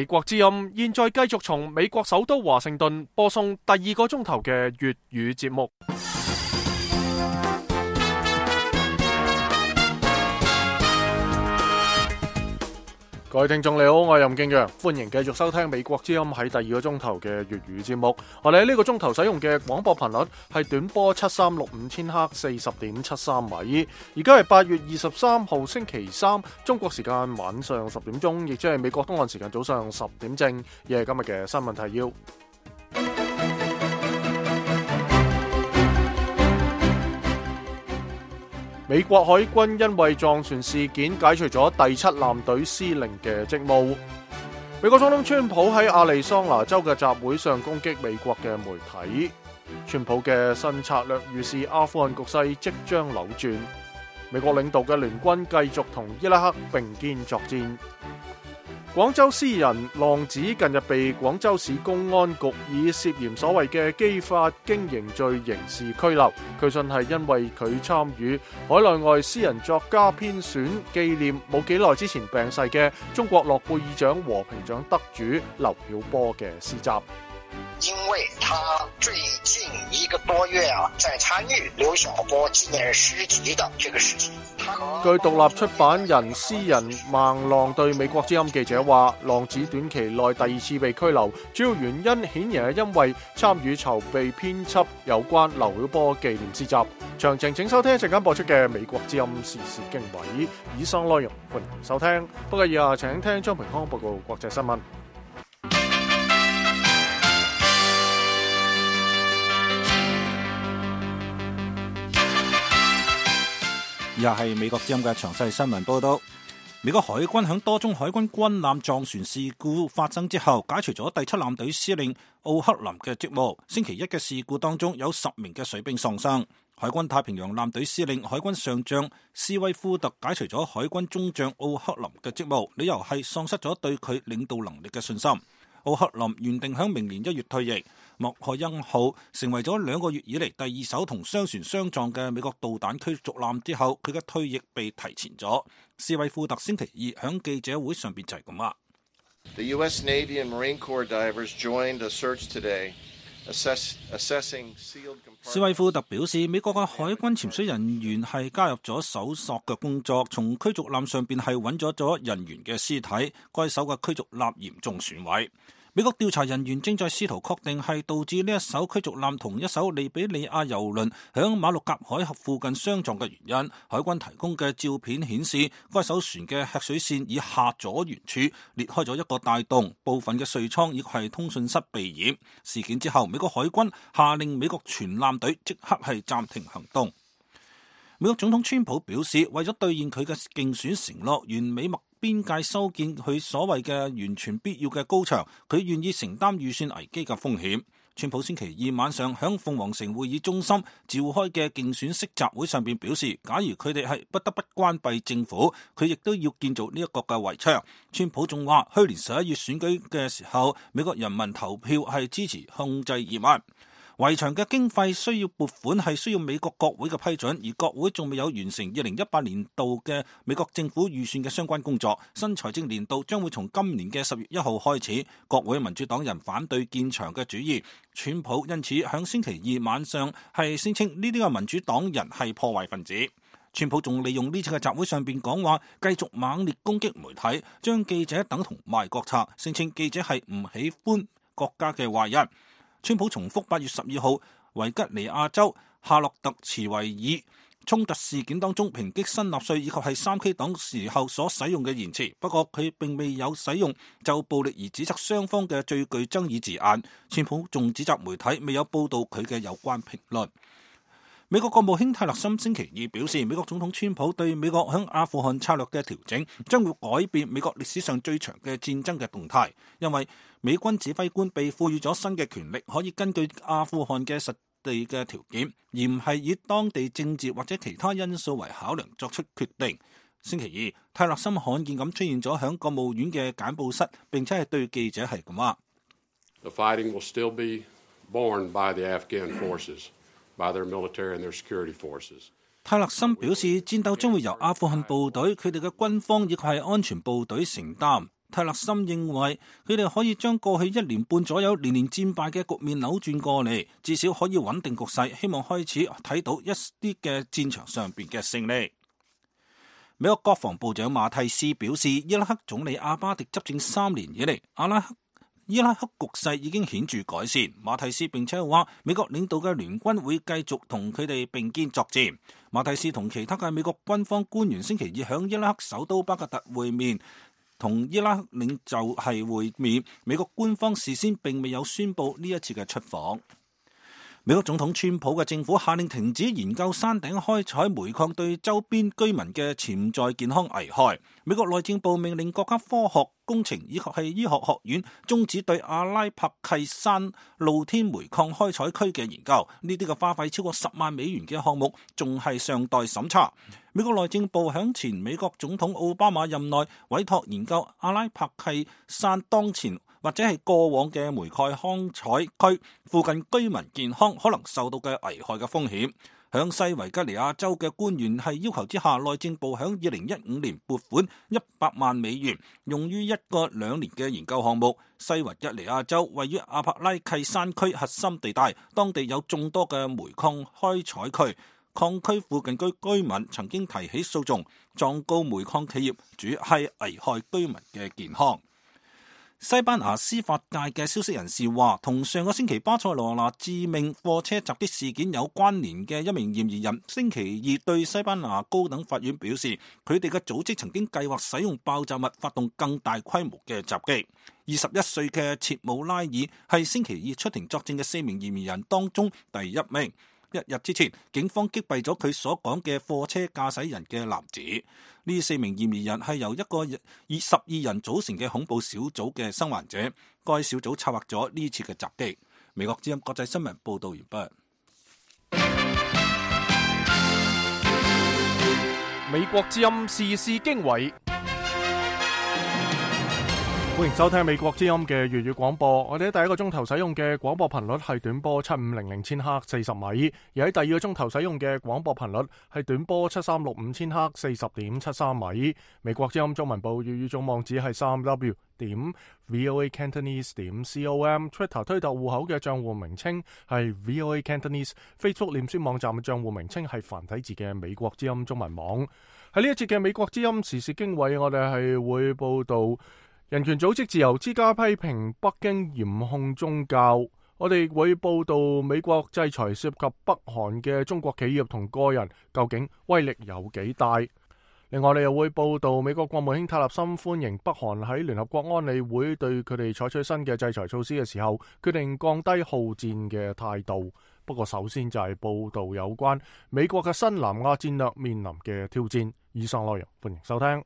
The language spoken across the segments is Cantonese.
美國之音現在繼續從美國首都華盛頓播送第二個鐘頭嘅粵語節目。各位聽眾你好，我係任敬陽，歡迎繼續收聽美國之音喺第二個鐘頭嘅粵語節目。我哋喺呢個鐘頭使用嘅廣播頻率係短波7365千赫40.73米。而家係8月23號星期三，中國時間晚上10點鐘，亦即係美國東岸時間早上10點正。亦係今日嘅新聞提要。美國海軍因為撞船事件解除咗第7艦隊司令嘅職務。美國總統川普喺亞利桑那州嘅集會上攻擊美國嘅媒體。川普嘅新策略預示阿富汗局勢即將扭轉。美國領導嘅聯軍繼續同伊拉克並肩作戰。廣州詩人浪子近日被廣州市公安局以涉嫌所謂嘅非法經營罪刑事拘留。據信係因為佢參與海內外詩人作家編選紀念冇幾耐之前病逝嘅中國諾貝爾獎和平獎得主劉曉波嘅詩集。因為他最近1個多月在參與劉曉波紀念詩集的這個事情。據獨立出版人詩人孟浪對美國之音記者話，浪子短期內第2次被拘留，主要原因顯然係因為參與籌備編輯有關劉曉波紀念詩集。詳情請收聽一陣間播出嘅美國之音時事經緯，以上內容歡迎收聽。不過以下請聽張平康報告國際新聞。以下係美國之音嘅詳細新聞報道。美國海軍喺多宗海軍軍艦撞船事故發生之後，解除咗第7艦隊司令奧克林嘅職務。星期一嘅事故當中有10名嘅水兵喪生。海軍太平洋艦隊司令海軍上將斯威夫特解除咗海軍中將奧克林嘅職務，理由係喪失咗對佢領導能力嘅信心。奧克林原定喺明年1月退役。莫海恩號成為咗2個月以嚟第2艘同商船相撞嘅美國導彈驅逐艦之後，佢嘅退役被提前咗。斯威夫特星期二喺記者會上邊就係咁話。The U.S. Navy and Marine Corps divers joined a search today, assessing sealed compartments. 斯威夫特表示，美國嘅海軍潛水人員係加入咗搜索嘅工作，從驅逐艦上邊係揾咗人員嘅屍體，該艘嘅驅逐艦嚴重損毀。美國調查人員正在試圖確定係導致呢一艘驅逐艦同一艘利比里亞油輪響馬六甲海峽附近相撞嘅原因。海軍提供嘅照片顯示，該艘船嘅吃水線以下左舷處裂開咗一個大洞，部分嘅稅艙亦係通訊室被淹。事件之後，美國海軍下令美國全艦隊即刻係暫停行動。美國總統川普表示，為咗兌現佢嘅競選承諾，完美麥邊界修建佢所謂嘅完全必要嘅高牆，佢願意承擔預算危機嘅風險。川普星期二晚上響鳳凰城會議中心召開嘅競選式集會上邊表示，假如佢哋係不得不關閉政府，佢亦都要建造呢一個嘅圍牆。川普仲話，去年11月選舉嘅時候，美國人民投票係支持控制移民。圍牆嘅經費需要撥款係需要美國國會嘅批准，而國會仲未有完成2018年度嘅美國政府預算嘅相關工作。新財政年度將會從今年嘅10月1號開始。國會民主黨人反對建牆嘅主意，川普因此響星期二晚上係聲稱呢啲嘅民主黨人係破壞分子。川普仲利用呢次嘅集會上邊講話，繼續猛烈攻擊媒體，將記者等同賣國賊，聲稱記者係唔喜歡國家嘅壞人。川普重複8月12號維吉尼亞州夏洛特茨維爾衝突事件當中抨擊新納粹以及係3K 黨時候所使用嘅言辭，不過佢並未有使用就暴力而指責雙方嘅最具爭議字眼。川普仲指責媒體未有報道佢嘅有關評論。美國國務卿泰勒森星期二表示，美國總統川普對美國響阿富汗策略嘅調整將會改變美國歷史上最長嘅戰爭嘅動態，因為美軍指揮官被賦予咗新嘅權力，可以根據阿富汗嘅實地嘅條件，而唔係以當地政治或者其他因素為考量作出決定。星期二，泰勒森罕見咁出現咗響國務院嘅簡報室，並且係對記者係咁話：The fighting will still be borne by the Afghan forces. 泰勒森表示，戰鬥將會由阿富汗部隊、佢哋嘅軍方以及係安全部隊承擔。泰勒森認為佢哋可以將過去1年半左右連連戰敗嘅局面扭轉過嚟，至少可以穩定局勢，希望開始睇到一啲嘅戰場上邊嘅勝利。美國國防部長馬蒂斯表示，伊拉克總理阿巴迪執政3年以嚟，伊拉克局勢已經顯著改善。馬蒂斯並且話，美國領導嘅聯軍會繼續同佢哋並肩作戰。馬蒂斯同其他嘅美國軍方官員星期二響伊拉克首都巴格達會面，同伊拉克領袖係會面。美國官方事先並未有宣布呢一次嘅出訪。美國總統川普嘅政府下令停止研究山頂開採煤礦對周邊居民嘅潛在健康危害。美國內政部命令國家科學工程以及係醫學學院終止對阿拉伯契山露天煤礦開採區嘅研究。呢啲嘅花費超過10萬美元嘅項目仲係尚待審查。美國內政部響前美國總統奧巴馬任內委託研究阿拉伯契山當前或者係過往嘅煤礦開採區附近居民健康可能受到嘅危害嘅風險。響西維吉尼亞州嘅官員係要求之下，內政部響2015年撥款100萬美元，用於一個2年嘅研究項目。西維吉尼亞州位於阿帕拉契山區核心地帶，當地有眾多嘅煤礦開採區。礦區附近居民曾經提起訴訟，狀告煤礦企業主係危害居民嘅健康。西班牙司法界嘅消息人士話，同上個星期巴塞羅那致命貨車襲擊事件有關聯嘅一名嫌疑人，星期二對西班牙高等法院表示，佢哋嘅組織曾經計劃使用爆炸物發動更大規模嘅襲擊。21歲嘅切姆拉爾係星期二出庭作證嘅4名嫌疑人當中第1名。1日之前，警方擊斃咗佢所講嘅貨車駕駛人嘅男子。呢4名嫌疑人係由一個以12人組成嘅恐怖小組嘅生還者。該小組策劃咗呢次嘅襲擊。美國之音國際新聞報道完畢。美國之音時事經緯。歡迎收聽美國之音嘅粵語廣播。我哋喺第一個鐘頭使用嘅廣播頻率係短波7500千赫40米，而喺第二個鐘頭使用嘅廣播頻率係短波7365千赫40.73米。美國之音中文部粵語總網址係3w.voacantonese.com，Twitter 推特戶口嘅賬戶名稱係 VOA Cantonese，Facebook 臉書網站嘅賬戶名稱係繁體字嘅美國之音中文網。喺呢一節嘅美國之音時事經緯，我哋係會報道人權組織自由之家批評北京嚴控宗教。我哋會報道美國制裁涉及北韓嘅中國企業同個人究竟威力有幾大。另外我哋又會報道美國國務卿塔勒森歡迎北韓喺聯合國安理會對佢哋採取新嘅制裁措施嘅時候，決定降低好戰嘅態度。不過首先就係報道有關美國嘅新南亞戰略面臨嘅挑戰。以上內容歡迎收聽。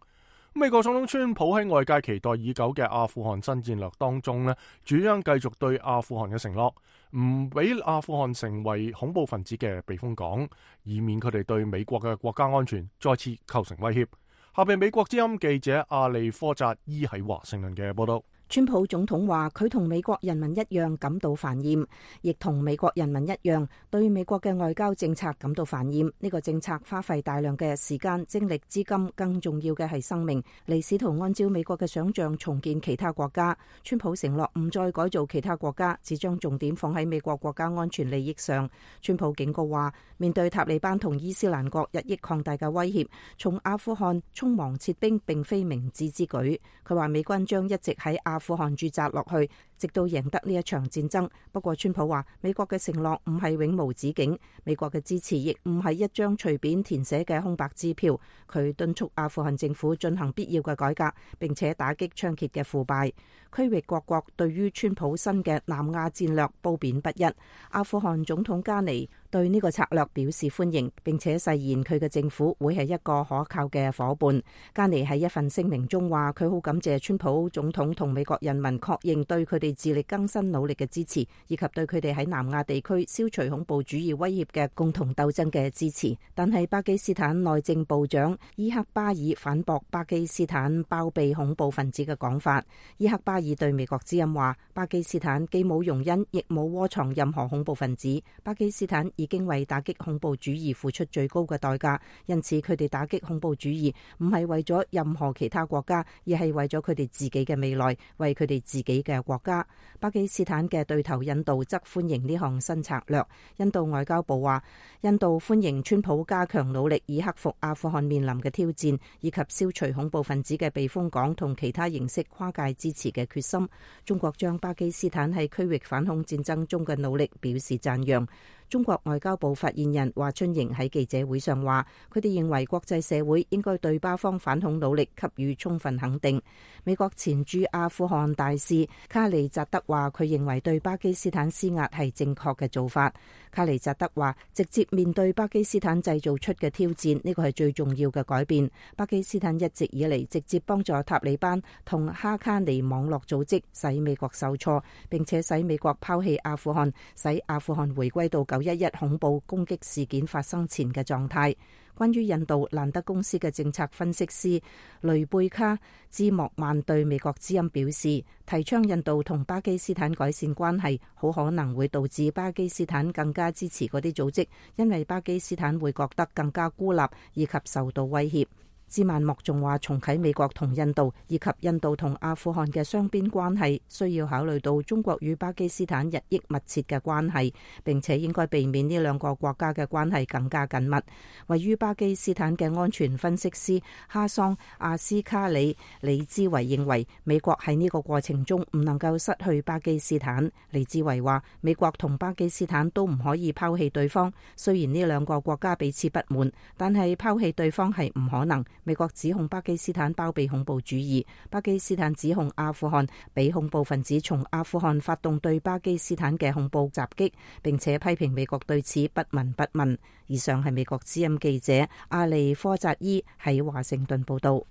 美國總統川普喺外界期待已久嘅阿富汗新戰略當中呢，主張繼續對阿富汗嘅承諾，唔俾阿富汗成為恐怖分子嘅避風港，以免佢哋對美國嘅國家安全再次構成威脅。下邊美國之音記者阿利科扎伊喺華盛頓嘅報道。川普總統話佢同美國人民一樣感到煩厭，亦同美國人民一樣對美國嘅外交政策感到煩厭。呢個政策花費大量嘅時間、精力、資金，更重要嘅係生命，嚟試圖按照美國嘅想象重建其他國家。川普承諾唔再改造其他國家，只將重點放喺美國國家安全利益上。川普警告話，面對塔利班同伊斯蘭國日益擴大嘅威脅，從阿富汗匆忙撤兵並非明智之舉。佢話美軍將一直喺阿富汗駐紮落去，直到贏得呢一場戰爭。不過川普話，美國嘅承諾唔係永無止境，美國嘅支持亦唔係一張隨便填寫嘅空白支票。佢敦促阿富汗政府進行必要嘅改革，並且打擊猖獗嘅腐敗。區域各國對於川普新嘅南亞戰略褒貶不一。阿富汗總統加尼對呢個策略表示歡迎，並且誓言佢嘅政府會係一個可靠嘅夥伴。加尼喺一份聲明中話，佢好感謝川普總統同美國人民確認對佢哋自力更生努力嘅支持，以及對佢哋喺南亞地區消除恐怖主義威脅嘅共同鬥爭嘅支持。但係巴基斯坦內政部長伊克巴爾反駁巴基斯坦包庇恐怖分子嘅講法。伊克巴爾對美國之音話，巴基斯坦既冇容忍亦冇窩藏任何恐怖分子。巴基斯坦已已經為打擊恐怖主義付出最高嘅代價，因此佢哋打擊恐怖主義唔係為咗任何其他國家，而係為咗佢哋自己嘅未來，為佢哋自己嘅國家。巴基斯坦嘅對頭印度則歡迎呢項新策略。印度外交部話，印度歡迎川普加強努力以克服阿富汗面臨嘅挑戰，以及消除恐怖分子嘅避風港同其他形式跨界支持嘅決心。中國將巴基斯坦喺區域反恐戰爭中嘅努力表示讚揚。中國外交部發言人華春瑩喺記者會上話，佢哋認為國際社會應該對巴方反恐努力給予充分肯定。美國前駐阿富汗大使卡利扎德話，佢認為對巴基斯坦施壓係正確嘅做法。卡利扎德話，直接面對巴基斯坦製造出嘅挑戰，呢個係最重要嘅改變。巴基斯坦一直以嚟直接幫助塔利班同哈卡尼網絡組織，使美國受挫，並且使美國拋棄阿富汗，使阿富汗回歸到911恐怖攻擊事件發生前嘅狀態。關於印度，蘭德公司嘅政策分析師雷貝卡茲莫曼對美國之音表示，提倡印度同巴基斯坦改善關係，好可能會導致巴基斯坦更加支持嗰啲組織，因為巴基斯坦會覺得更加孤立以及受到威脅。茲曼莫仲話，重啟美國同印度以及印度同阿富汗嘅雙邊關係，需要考慮到中國與巴基斯坦日益密切嘅關係，並且應該避免呢兩個國家嘅關係更加緊密。位於巴基斯坦嘅安全分析師哈桑阿斯卡里李茲維認為，美國喺呢個過程中唔能夠失去巴基斯坦。李茲維話，美國同巴基斯坦都唔可以拋棄對方，雖然呢兩個國家彼此不滿，但係拋棄對方係唔可能。美國指控巴基斯坦包庇恐怖主義，巴基斯坦指控阿富汗俾恐怖分子從阿富汗發動對巴基斯坦嘅恐怖襲擊，並且批評美國對此不聞不問。以上係美國之音記者阿利科扎伊喺華盛頓報道。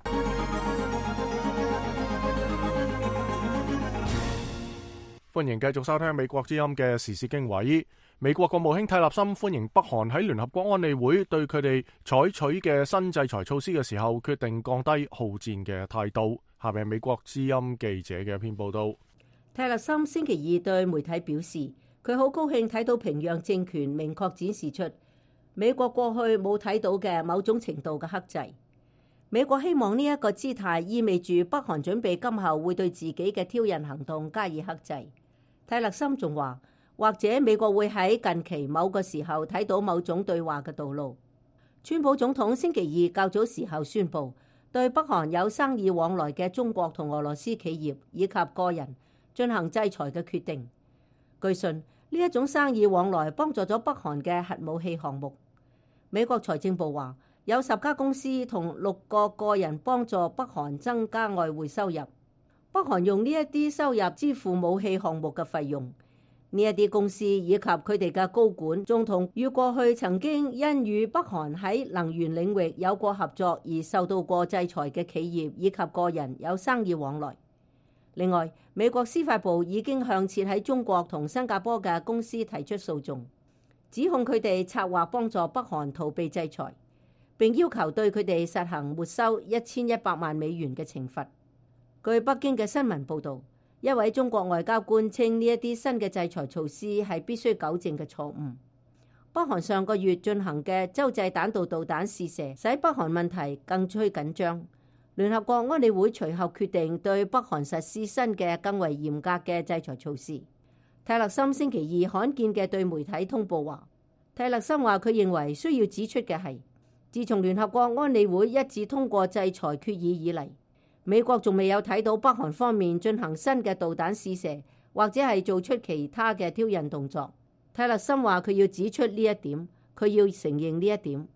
歡迎繼續收聽美國之音嘅時事經緯。美國國務卿蒂勒森歡迎北韓喺聯合國安理會對佢哋採取嘅新制裁措施嘅時候，決定降低好戰嘅態度。下面係美國之音記者嘅一篇報道。蒂勒森星期二對媒體表示，佢好高興睇到平壤政權明確展示出美國過去冇睇到嘅某種程度嘅克制。美國希望呢一個姿態意味住北韓準備今後會對自己嘅挑釁行動加以克制。蒂勒森仲話，或者美國會喺近期某個時候睇到某種對話嘅道路。川普總統星期二較早時候宣布，對北韓有生意往來嘅中國同俄羅斯企業以及個人進行制裁嘅決定。據信呢一種生意往來幫助咗北韓嘅核武器項目。美國財政部話，有10家公司同6個個人幫助北韓增加外匯收入。北韓用呢一啲收入支付武器項目嘅費用。呢一啲公司以及佢哋嘅高管，仲同與過去曾經因與北韓喺能源領域有過合作而受到過制裁嘅企業以及個人有生意往來。另外，美國司法部已經向設喺中國同新加坡嘅公司提出訴訟，指控佢哋策劃幫助北韓逃避制裁，並要求對佢哋實行沒收1100萬美元嘅懲罰。據北京嘅新聞報導，一位中國外交官稱呢一啲新嘅制裁措施係必須糾正嘅錯誤。北韓上個月進行嘅洲際彈道導彈試射，使北韓問題更趨緊張。聯合國安理會隨後決定對北韓實施新嘅更為嚴格嘅制裁措施。蒂勒森星期二罕見嘅對媒體通報話，蒂勒森話佢認為需要指出嘅係，自從聯合國安理會一致通過制裁決議以嚟，美國仲未有睇到北韓方面進行新嘅導彈試射，或者係做出其他嘅挑釁動作。蒂勒森話佢要指出呢一點，佢要承認呢一點。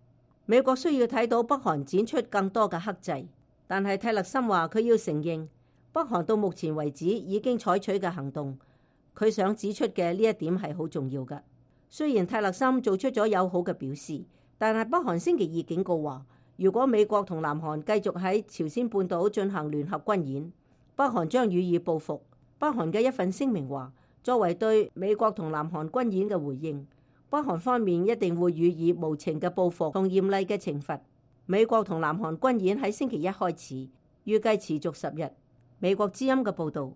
美國需要睇到北韓展出更多嘅克制，但係蒂勒森話佢要承認北韓到目前為止已經採取嘅行動。佢想指出嘅呢一點係好重要嘅。雖然蒂勒森做出咗友好嘅表示，但係北韓星期二警告話，如果美國同南韓繼續喺朝鮮半島進行聯合軍演，北韓將予以報復。北韓嘅一份聲明話，作為對美國同南韓軍演嘅回應，北韓方面一定會予以無情嘅報復同嚴厲嘅懲罰。美國同南韓軍演喺星期一開始，預計持續10日。美國之音嘅報導。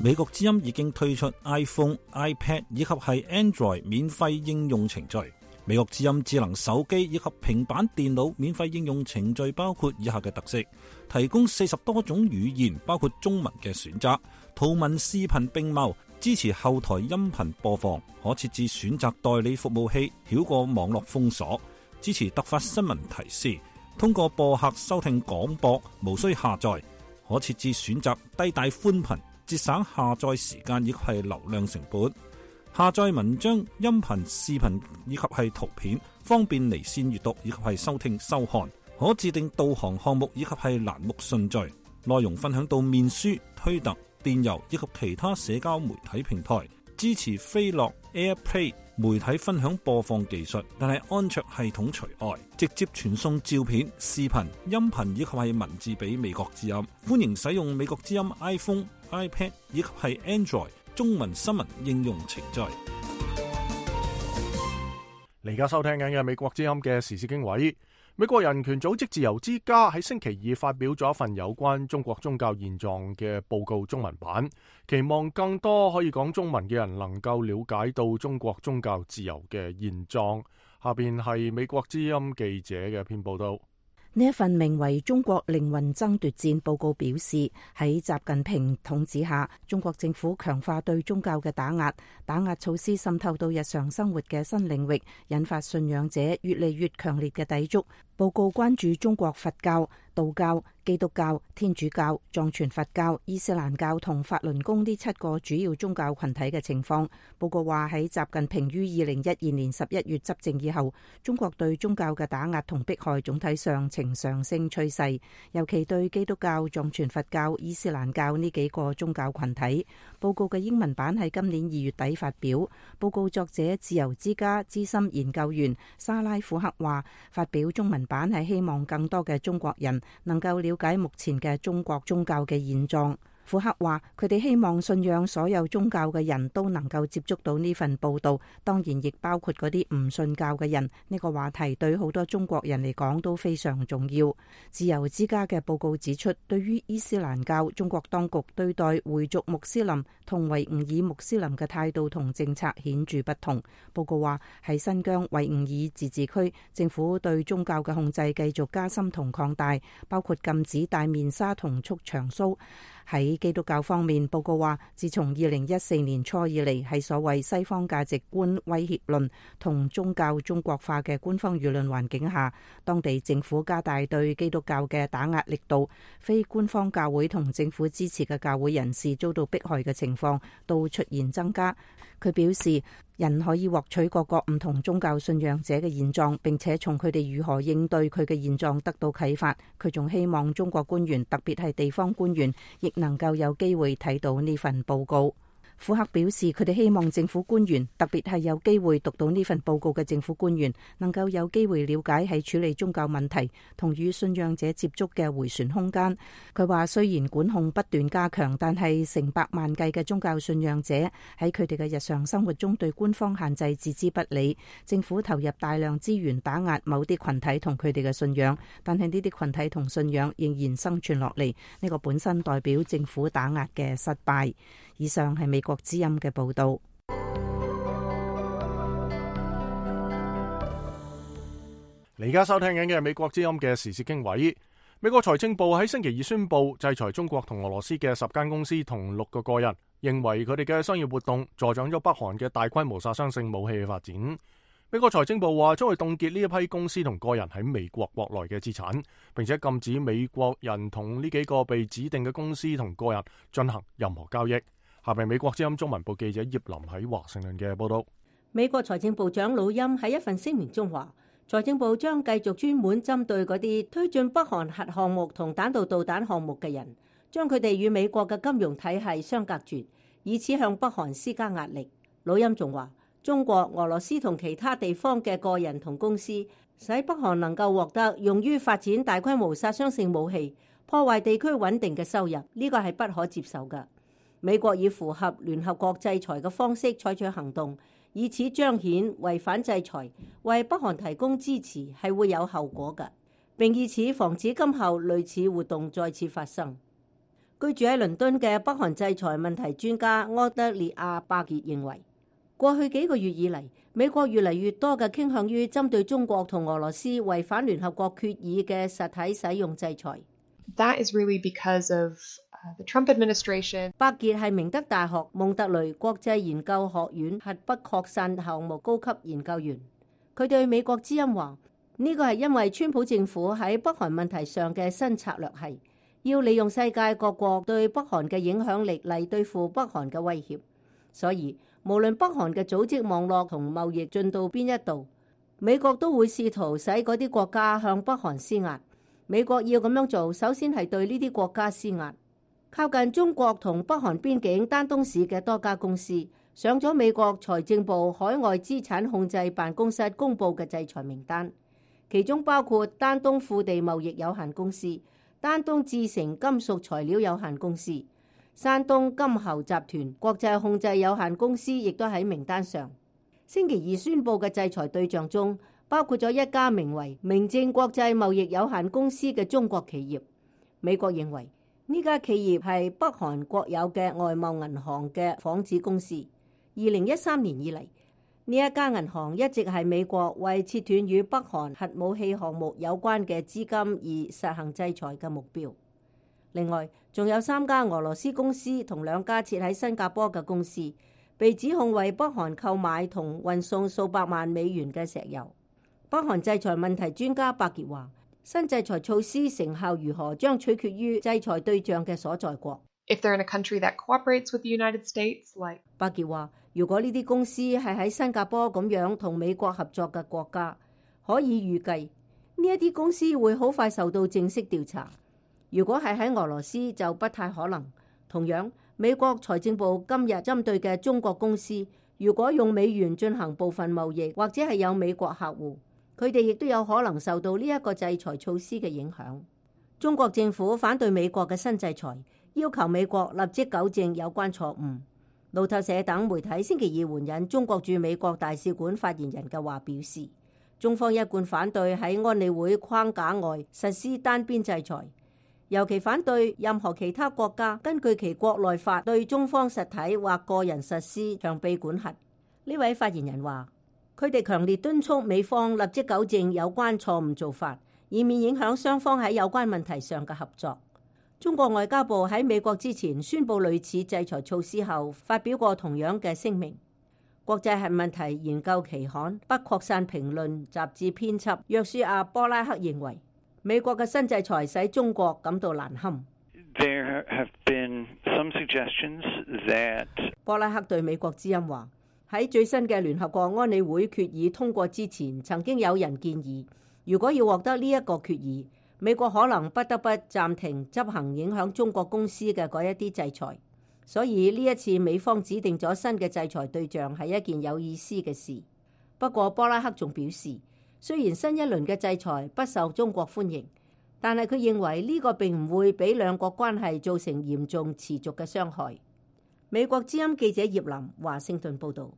美國之音已經推出 iPhone、iPad 以及係 Android 免費應用程序。美國之音智能手機以及平板電腦免費應用程序包括以下嘅特色：提供40多種語言，包括中文嘅選擇，圖文視頻並茂，支持後台音頻播放，可設置選擇代理服務器，繞過網絡封鎖，支持突發新聞提示，通過播客收聽廣播，無需下載，可設置選擇低帶寬頻，節省下載時間以及係流量成本。下載文章、音頻、視頻以及係圖片，方便離線閱讀以及係收聽收看。可自定導航項目以及係欄目順序。內容分享到面書、推特、電郵以及其他社交媒體平台。支持飛樂 AirPlay 媒體分享播放技術，但係安卓系統除外。直接傳送照片、視頻、音頻以及係文字俾美國之音。歡迎使用美國之音 iPhone、iPad 以及係 Android中文新聞應用程序。你而家收聽緊嘅美國之音嘅時事經緯。美國人權組織自由之家喺星期二發表咗一份有關中國宗教現狀嘅報告中文版，期望更多可以講中文嘅人能夠了解到中國宗教自由嘅現狀。下邊係美國之音記者嘅一篇報道。呢一份名為《中國靈魂爭奪戰》報告表示，喺習近平統治下，中國政府強化對宗教嘅打壓措施滲透到日常生活嘅新領域，引發信仰者越嚟越強烈嘅抵觸。報告關注中國佛教、道教、基督教、天主教、藏傳佛教、伊斯蘭教同法輪功呢7個主要宗教群體嘅情況。報告話喺習近平於2012年11月執政以後，中國對宗教嘅打壓同迫害總體上呈上升趨勢，尤其對基督教、藏傳佛教、伊斯蘭教呢幾個宗教群體。報告嘅英文版喺今年2月底發表。報告作者自由之家資深研究員沙拉庫克話，發表中文版係希望更多嘅中國人能夠了解目前嘅中國宗教嘅現狀。庫克話，佢哋希望信仰所有宗教嘅人都能夠接觸到呢份報道，當然亦包括嗰啲唔信教嘅人。呢個話題對好多中國人嚟講都非常重要。自由之家嘅報告指出，對於伊斯蘭教，中國當局對待回族穆斯林同維吾爾穆斯林嘅態度同政策顯著不同。報告話，喺新疆維吾爾自治區，政府對宗教嘅控制繼續加深同擴大，包括禁止戴面紗同束長鬚。喺基督教方面，報告話，自從2014年初以嚟，喺所謂西方價值觀威脅論同宗教中國化嘅官方輿論環境下，當地政府加大對基督教嘅打壓力度，非官方教會同政府支持嘅教會人士遭到迫害嘅情況都出現增加。佢表示，人可以獲取各個唔同宗教信仰者嘅現狀，並且從佢哋如何應對佢嘅現狀得到啟發。佢仲希望中國官員，特別係地方官員，亦能夠有機會睇到呢份報告。庫克表示，佢哋希望政府官員，特別係有機會讀到呢份報告嘅政府官員，能夠有機會了解喺處理宗教問題同與信仰者接觸嘅迴旋空間。佢話，雖然管控不斷加強，但係成百萬計嘅宗教信仰者喺佢哋嘅日常生活中對官方限制置之不理。政府投入大量資源打壓某啲群體同佢哋嘅信仰，但係呢啲群體同信仰仍然生存落嚟。呢個本身代表政府打壓嘅失敗。以上係美國之音嘅報道。你而家收聽緊嘅係美國之音嘅時事經緯。美國財政部喺星期二宣布制裁中國同俄羅斯嘅10間公司同6個個人，認為佢哋嘅商業活動助長咗北韓嘅大規模殺傷性武器嘅發展。美國財政部話將會凍結呢一批公司同個人喺美國國內嘅資產，並且禁止美國人同呢幾個被指定嘅公司同個人進行任何交易。下邊美國之音中文部記者葉林喺華盛頓嘅報道。美國財政部長魯欽喺一份聲明中話，財政部將繼續專門針對嗰啲推進北韓核項目同彈道導彈項目嘅人，將佢哋與美國嘅金融體系相隔絕，以此向北韓施加壓力。魯欽仲話，中國、俄羅斯同其他地方嘅個人同公司，使北韓能夠獲得用於發展大規模殺傷性武器、破壞地區穩定嘅收入，呢個係不可接受嘅。美國以符合聯合國制裁嘅方式採取行動，以此彰顯違反制裁、為北韓提供支持係會有後果嘅，並以此防止今後類似活動再次發生。居住喺倫敦嘅北韓制裁問題專家柯德列亞巴傑認為，過去幾個月以嚟，美國越嚟越多嘅傾向於針對中國同俄羅斯違反聯合國決議嘅實體使用制裁。That is really because of the Trump administration. 巴傑係明德大學蒙特雷國際研究學院核不擴散項目高級研究員，佢對美國之音話：呢個係因為川普政府喺北韓問題上嘅新策略係要利用世界各國對北韓嘅影響力嚟對付北韓嘅威脅，所以無論北韓嘅組織網絡同貿易進到邊一度，美國都會試圖使嗰啲國家向北韓施壓。美國要咁樣做，首先係對呢啲國家施壓。靠近中國同北韓邊境丹東市嘅多家公司上咗美國財政部海外資產控制辦公室公佈嘅制裁名單，其中包括丹東富地貿易有限公司、丹東製成金屬材料有限公司、山東金猴集團國際控制有限公司，亦都喺名單上。星期二宣佈嘅制裁對象中，包括咗一家名為明正國際貿易有限公司嘅中國企業。美國認為呢家企業係北韓國有嘅外貿銀行嘅仿子公司。2013年以嚟，呢一家銀行一直係美國為切斷與北韓核武器項目有關嘅資金而實行制裁嘅目標。另外，仲有3家俄羅斯公司同2家設喺新加坡嘅公司，被指控為北韓購買同運送數百萬美元嘅石油。北韓制裁問題專家巴傑話：新制裁措施成效如何，將取決於制裁對象嘅所在國。If they're in a country that cooperates with the United States, like 巴傑話：如果呢啲公司係喺新加坡咁樣同美國合作嘅國家，可以預計呢一啲公司會好快受到正式調查。如果係喺俄羅斯就不太可能。同樣，美國財政部今日針對嘅中國公司，如果用美元進行部分貿易，或者係有美國客戶，佢哋亦都有可能受到呢一個制裁措施嘅影響。中國政府反對美國嘅新制裁，要求美國立即糾正有關錯誤。路透社等媒體星期二援引中國駐美國大使館發言人嘅話表示，中方一貫反對喺安理會框架外實施單邊制裁，尤其反對任何其他國家根據其國內法對中方實體或個人實施長臂管轄。呢位發言人話，佢哋強烈敦促美方立即糾正有關錯誤做法，以免影響雙方喺有關問題上嘅合作。中國外交部喺美國之前宣布類似制裁措施後，發表過同樣嘅聲明。國際核問題研究期刊不擴散評論雜誌編輯約書亞波拉克認為，美國嘅新制裁使中國感到難堪。There have been some suggestions that 波拉克對美國之音話，喺最新嘅聯合國安理會決議通過之前，曾經有人建議，如果要獲得呢一個決議，美國可能不得不暫停執行影響中國公司嘅嗰一啲制裁。所以呢一次美方指定咗新嘅制裁對象係一件有意思嘅事。不過波拉克仲表示，雖然新一輪嘅制裁不受中國歡迎，但係佢認為呢個並唔會俾兩國關係造成嚴重持續嘅傷害。美國之音記者葉林華盛頓報導。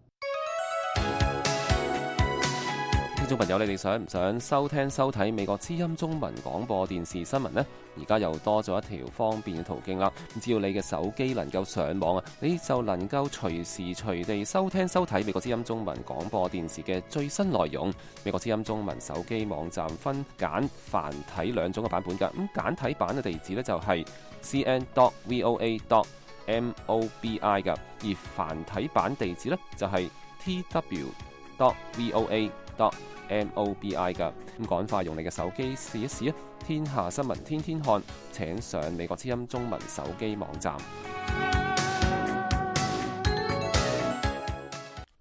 聽眾朋友，你哋想唔想收聽收睇美國之音中文廣播電視新聞呢？而家又多咗一條方便嘅途徑啦！只要你嘅手機能夠上網啊，你就能夠隨時隨地收聽收睇美國之音中文廣播電視嘅最新內容。美國之音中文手機網站分簡繁體兩種嘅版本㗎。咁簡體版嘅地址呢，就係 cn.voa.mobi 㗎，而繁體版地址呢，就係 tw.voa.mobi 噶。咁趕快用你嘅手機試一試啊！天下新聞天天看，請上美國之音中文手機網站。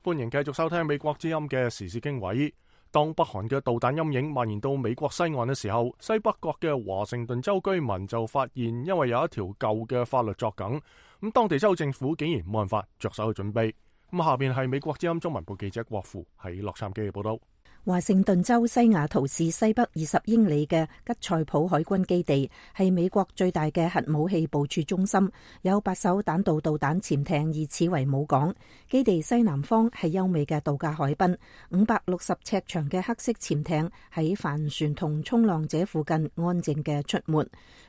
歡迎繼續收聽美國之音嘅時事經緯。當北韓嘅導彈陰影蔓延到美國西岸嘅時候，西北角嘅華盛頓州居民就發現，因為有一條舊嘅法律作梗，咁當地州政府竟然冇辦法着手去準備。咁下邊係美國之音中文部記者郭富喺洛杉磯嘅報道。華盛頓州西雅圖市西北20英里嘅吉塞普海軍基地係美國最大嘅核武器部署中心，有8艘彈道導彈潛艇以此為母港。基地西南方係優美嘅度假海濱，560尺長嘅黑色潛艇喺帆船同衝浪者附近安靜嘅出沒。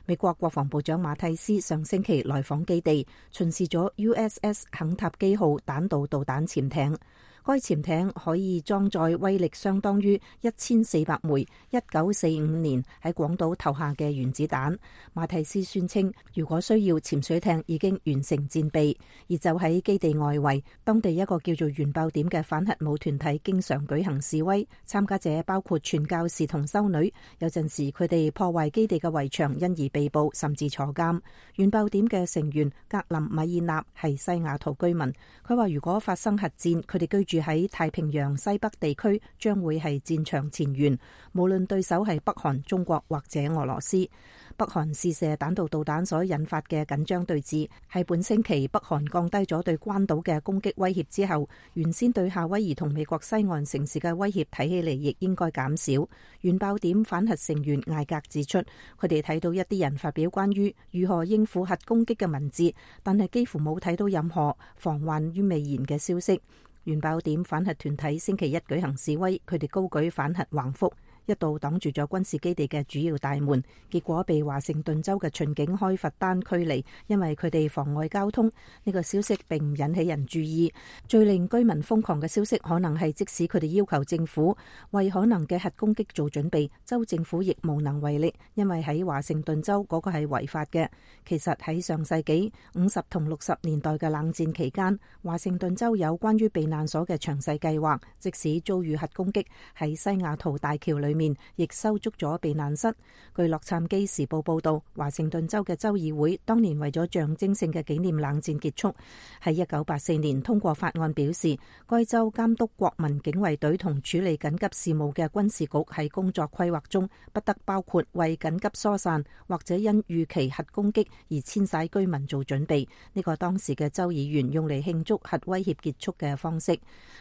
美國國防部長馬蒂斯上星期來訪基地，巡視咗 USS 肯塔基號彈道導彈潛艇。該潛艇可以裝載威力相當於1400枚1945年喺廣島投下嘅原子彈。馬蒂斯宣稱，如果需要，潛水艇已經完成戰備。而就喺基地外圍，當地一個叫做原爆點嘅反核武團體經常舉行示威，參加者包括傳教士同修女。有陣時佢哋破壞基地嘅圍牆，因而被捕甚至坐監。原爆點嘅成員格林米爾納係西雅圖居民，佢話如果發生核戰，佢哋居住喺太平洋西北地區將會係戰場前沿，無論對手係北韓、中國或者俄羅斯。北韓試射彈道導彈所引發嘅緊張對峙，係本星期北韓降低咗對關島嘅攻擊威脅之後，原先對夏威夷同美國西岸城市嘅威脅睇起嚟亦應該減少。原爆點反核成員艾格指出，佢哋睇到一啲人發表關於如何應付核攻擊嘅文字，但係幾乎冇睇到任何防患於未然嘅消息。原爆點反核團體星期一舉行示威，佢哋高舉反核橫幅，一度擋住咗軍事基地嘅主要大門，結果被華盛頓州嘅巡警開罰單驅離，因為佢哋妨礙交通。呢個消息並唔引起人注意。最令居民瘋狂嘅消息，可能係即使佢哋要求政府為可能嘅核攻擊做準備，州政府亦無能為力，因為喺華盛頓州嗰個係違法嘅。其實喺上世紀50同60年代嘅冷戰期間，華盛頓州有關於避難所嘅詳細計劃，即使遭遇核攻擊，喺西雅圖大橋裏面亦修築咗避難室。據洛杉磯時報報道，華盛頓州嘅州議會當年為咗象徵性嘅紀念冷戰結束，喺1984年通過法案，表示該州監督國民警衛隊同處理緊急事務嘅軍事局喺工作規劃中不得包括為緊急疏散或者因預期核攻擊而遷徙居民做準備。呢個當時嘅州議員用嚟慶祝核威脅結束嘅方式。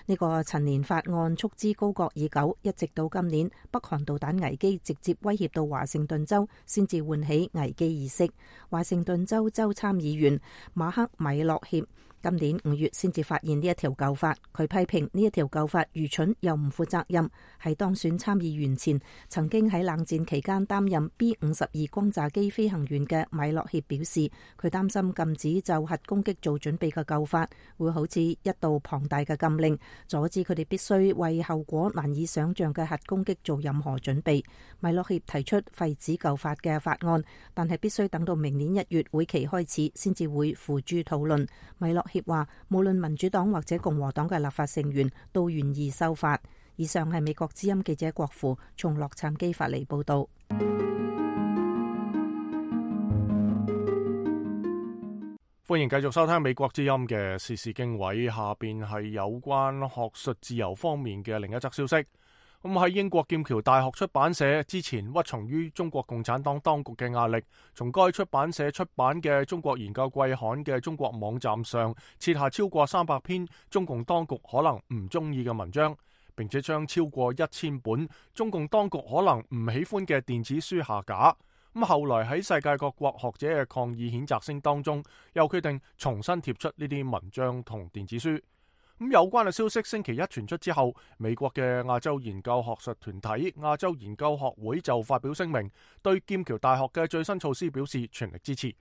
呢個陳年法案束之高閣已久，一直到今年北韓導彈危機直接威脅到華盛頓州，先至喚起危機意識。華盛頓州州參議員馬克米洛協今年5月先至發現呢一條舊法，佢批評呢一條舊法愚蠢又唔負責任。喺當選參議員前，曾經喺冷戰期間擔任 B-52 轟炸機飛行員嘅米洛協表示，佢擔心禁止就核攻擊做準備嘅舊法會好似一道龐大嘅禁令，阻止佢哋必須為後果難以想像嘅核攻擊做任何準備。米洛協提出廢止舊法嘅法案，但係必須等到明年1月會期開始先至會付諸討論。米洛協話，無論民主黨或者共和黨嘅立法成員都願意修法。以上係美國之音記者郭芙從洛杉磯發嚟報道。歡迎繼續收聽美國之音嘅時事經緯，下邊係有關學術自由方面嘅另一則消息。咁喺英國劍橋大學出版社之前屈從於中國共產黨當局嘅壓力，從該出版社出版嘅中國研究季刊嘅中國網站上撤下超過300篇中共當局可能唔中意嘅文章，並且將超過1000本中共當局可能唔喜歡嘅電子書下架。咁後來喺世界各國學者嘅抗議譴責聲當中，又決定重新貼出呢啲文章同電子書。咁有關嘅消息星期一傳出之後，美國嘅亞洲研究學術團體亞洲研究學會就發表聲明，對劍橋大學嘅最新措施表示全力支持。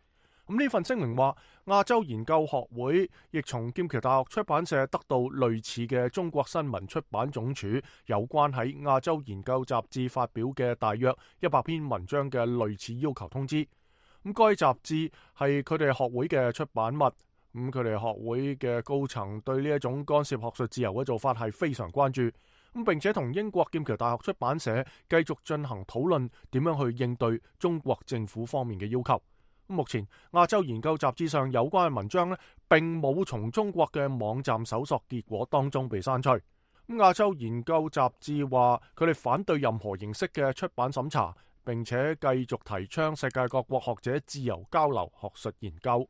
咁呢份聲明話，亞洲研究學會亦從劍橋大學出版社得到類似嘅中國新聞出版總署有關喺亞洲研究雜誌發表嘅大約100篇文章嘅類似要求通知。咁該雜誌係佢哋學會嘅出版物。咁佢哋學會嘅高層對呢一種干涉學術自由嘅做法係非常關注，咁並且同英國劍橋大學出版社繼續進行討論，點樣去應對中國政府方面嘅要求。目前亞洲研究雜誌上有關嘅文章呢，並冇從中國嘅網站搜索結果當中被刪除。咁亞洲研究雜誌話，佢哋反對任何形式嘅出版審查，並且繼續提倡世界各國學者自由交流學術研究。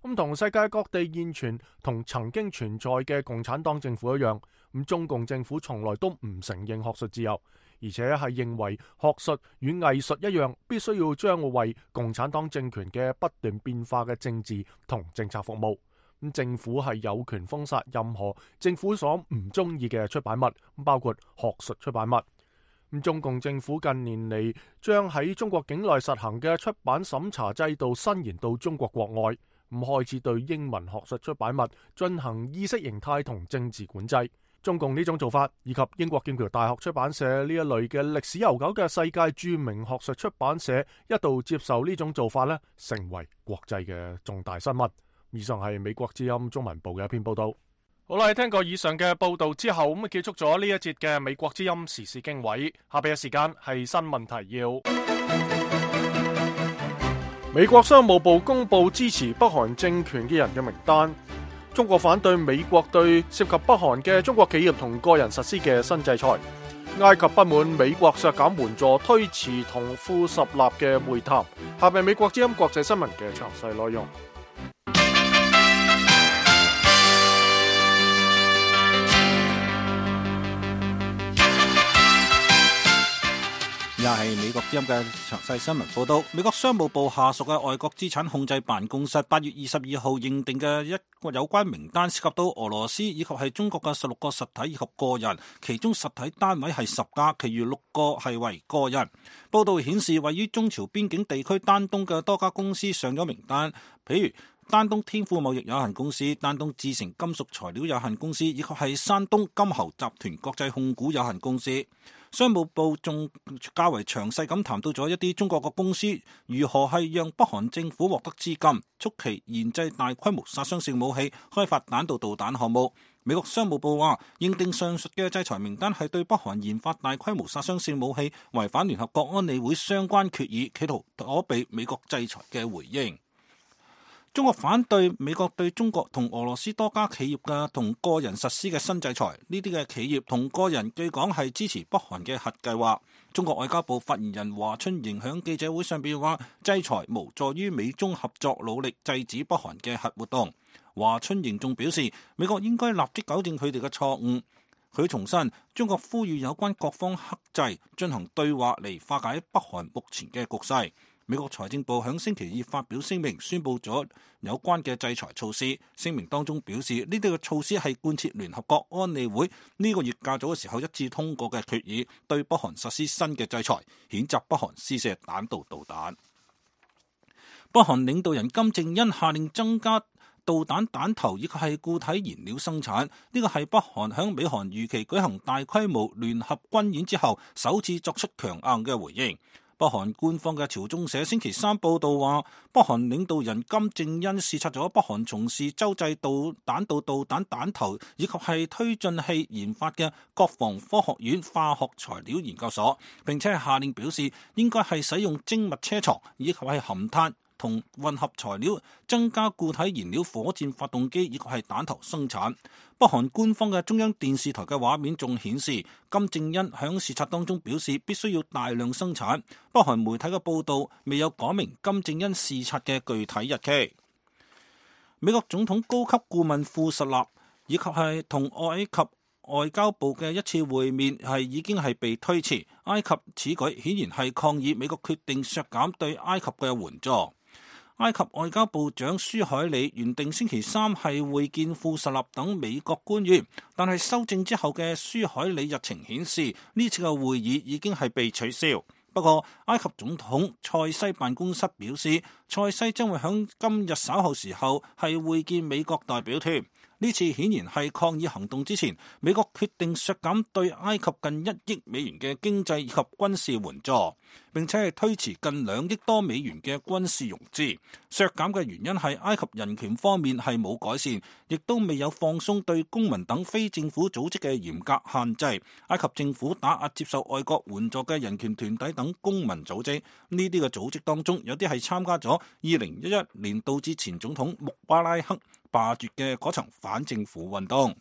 咁同世界各地現存同曾經存在嘅共產黨政府一樣，咁中共政府從來都唔承認學術自由，而且係認為學術與藝術一樣，必須要將為共產黨政權嘅不斷變化嘅政治同政策服務。咁政府係有權封殺任何政府所唔中意嘅出版物，包括學術出版物。咁中共政府近年嚟將喺中國境內實行嘅出版審查制度伸延到中國國外，咁開始對英文學術出版物進行意識形態同政治管制。中共呢種做法，以及英國劍橋大學出版社呢一類嘅歷史悠久嘅世界著名學術出版社一度接受呢種做法呢，成為國際嘅重大新聞。以上係美國之音中文部嘅一篇報道。好啦，聽過以上嘅報道之後，咁結束咗呢一節嘅美國之音時事經緯。下邊嘅時間係新聞提要。美國商務部公布支持北韓政權嘅人嘅名單。中國反對美國對涉及北韓嘅中國企業同個人實施嘅新制裁。埃及不滿美國削減援助，推遲同富十納嘅會談。下邊美國之音國際新聞嘅詳細內容。又係美國之音嘅詳細新聞報道。美國商務部下屬嘅外國資產控制辦公室8月22號認定嘅一個有關名單，涉及到俄羅斯以及係中國嘅16個實體以及個人，其中實體單位係10家，其餘6個係為個人。報道顯示，位於中朝邊境地區丹東嘅多家公司上咗名單，譬如丹東天富貿易有限公司、丹東智成金屬材料有限公司，以及係山東金猴集團國際控股有限公司。商務部仲較為詳細咁談到咗一啲中國嘅公司如何係讓北韓政府獲得資金，促其研製大規模殺傷性武器，開發彈道導彈項目。美國商務部話，認定上述嘅制裁名單係對北韓研發大規模殺傷性武器違反聯合國安理會相關決議，企圖躲避美國制裁嘅回應。中國反對美國對中國同俄羅斯多家企業嘅同個人實施嘅新制裁，呢啲嘅企業同個人據講係支持北韓嘅核計劃。中國外交部發言人華春瑩響記者會上邊話，制裁無助於美中合作努力制止北韓嘅核活動。華春瑩仲表示，美國應該立即糾正佢哋嘅錯誤。佢重申，中國呼籲有關各方克制，進行對話嚟化解北韓目前嘅局勢。美國財政部響星期二發表聲明，宣布咗有關嘅制裁措施。聲明當中表示，呢啲嘅措施係貫徹聯合國安理會呢個月較早嘅時候一致通過嘅決議，對北韓實施新嘅制裁，譴責北韓試射彈道導彈。北韓領導人金正恩下令增加導彈彈頭以及係固體燃料生產，呢個係北韓響美韓如期舉行大規模聯合軍演之後首次作出強硬嘅回應。北韓官方嘅朝中社星期三報道話，北韓領導人金正恩視察咗北韓從事洲際彈道導彈彈頭以及係推進器研發嘅國防科學院化學材料研究所，並且係下令表示應該係使用精密車床以及係含碳同混合材料增加固體燃料火箭發動機以及係彈頭生產。北韓官方嘅中央電視台嘅畫面仲顯示，金正恩響視察當中表示必須要大量生產。北韓媒體嘅報道未有講明金正恩視察嘅具體日期。美國總統高級顧問庫什納以及係同埃及外交部嘅一次會面係已經係被推遲。埃及此舉顯然係抗議美國決定削減對埃及嘅援助。埃及外交部長舒海里原定星期三係會見庫什納等美國官員，但係修正之後嘅舒海里日程顯示呢次嘅會議已經係被取消。不過埃及總統塞西辦公室表示，塞西將會喺今日稍後時候係會見美國代表團。呢次顯然係抗議行動之前，美國決定削減對埃及近1億美元嘅經濟以及軍事援助，並且係推遲近2億多美元嘅軍事融資。削減嘅原因係埃及人權方面係冇改善，亦都未有放鬆對公民等非政府組織嘅嚴格限制。埃及政府打壓接受外國援助嘅人權團體等公民組織，呢啲嘅組織當中有啲係參加咗2011年導致前總統穆巴拉克罷黜嘅嗰場反政府運動。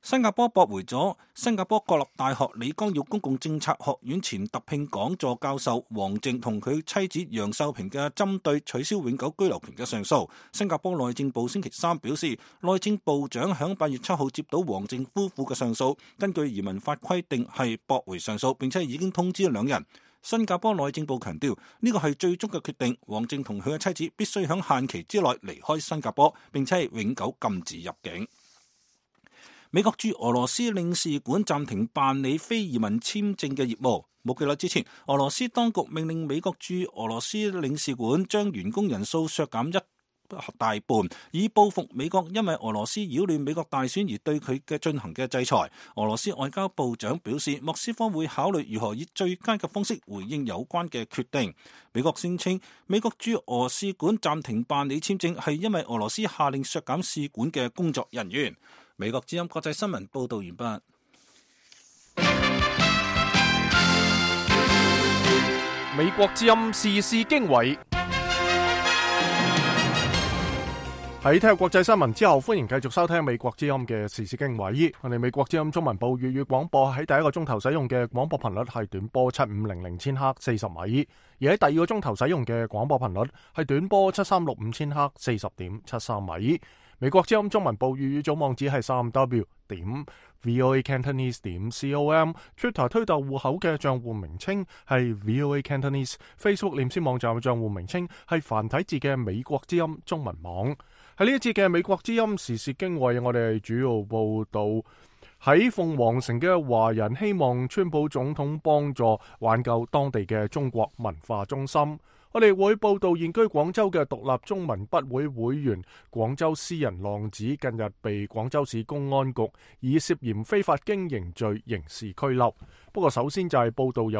新加坡駁回咗新加坡國立大學李光耀公共政策學院前特聘講座教授黃靖同佢妻子楊秀萍嘅針對取消永久居留權嘅上訴。新加坡內政部星期三表示，內政部長響8月7號接到黃靖夫婦嘅上訴，根據移民法規定係駁回上訴，並且已經通知兩人。新加坡內政部強調，呢個係最終嘅決定，黃靖同佢嘅妻子必須響限期之內離開新加坡，並且係永久禁止入境。美國駐俄羅斯領事館暫停辦理非移民簽證嘅業務。冇幾耐之前，俄羅斯當局命令美國駐俄羅斯領事館將員工人數削減一大半，以報復美國因為俄羅斯擾亂美國大選而對佢嘅進行嘅制裁。俄羅斯外交部長表示，莫斯科會考慮如何以最佳嘅方式回應有關嘅決定。美國聲稱，美國駐俄使館暫停辦理簽證係因為俄羅斯下令削減使館嘅工作人員。美國之音國際新聞報道完畢。美國之音時事經緯。喺聽國際新聞之後，歡迎繼續收聽美國之音嘅時事經緯。我哋美國之音中文部粵語廣播喺第一個鐘頭使用嘅廣播頻率係短波7500千赫40米，而喺第二個鐘頭使用嘅廣播頻率係短波7365千赫40.73米。美國之音中文部粵語總網址係3w.voacantonese.com，Twitter 推特戶口嘅賬戶名稱係 VOA Cantonese， Facebook 臉書網站嘅賬戶名稱係繁體字嘅美國之音中文網。喺呢一節嘅美國之音時事經緯，我哋主要報道喺鳳凰城嘅華人希望川普總統幫助挽救當地嘅中國文化中心。我哋會報道現居廣州嘅獨立中文筆會會員廣州詩人浪子近日被廣州市公安局以涉嫌非法經營罪刑事拘留。不過首先就係報道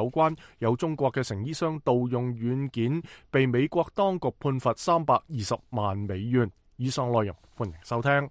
有中國嘅成衣商盜用軟件被美國當局判罰320萬美元。以上內容歡迎收聽。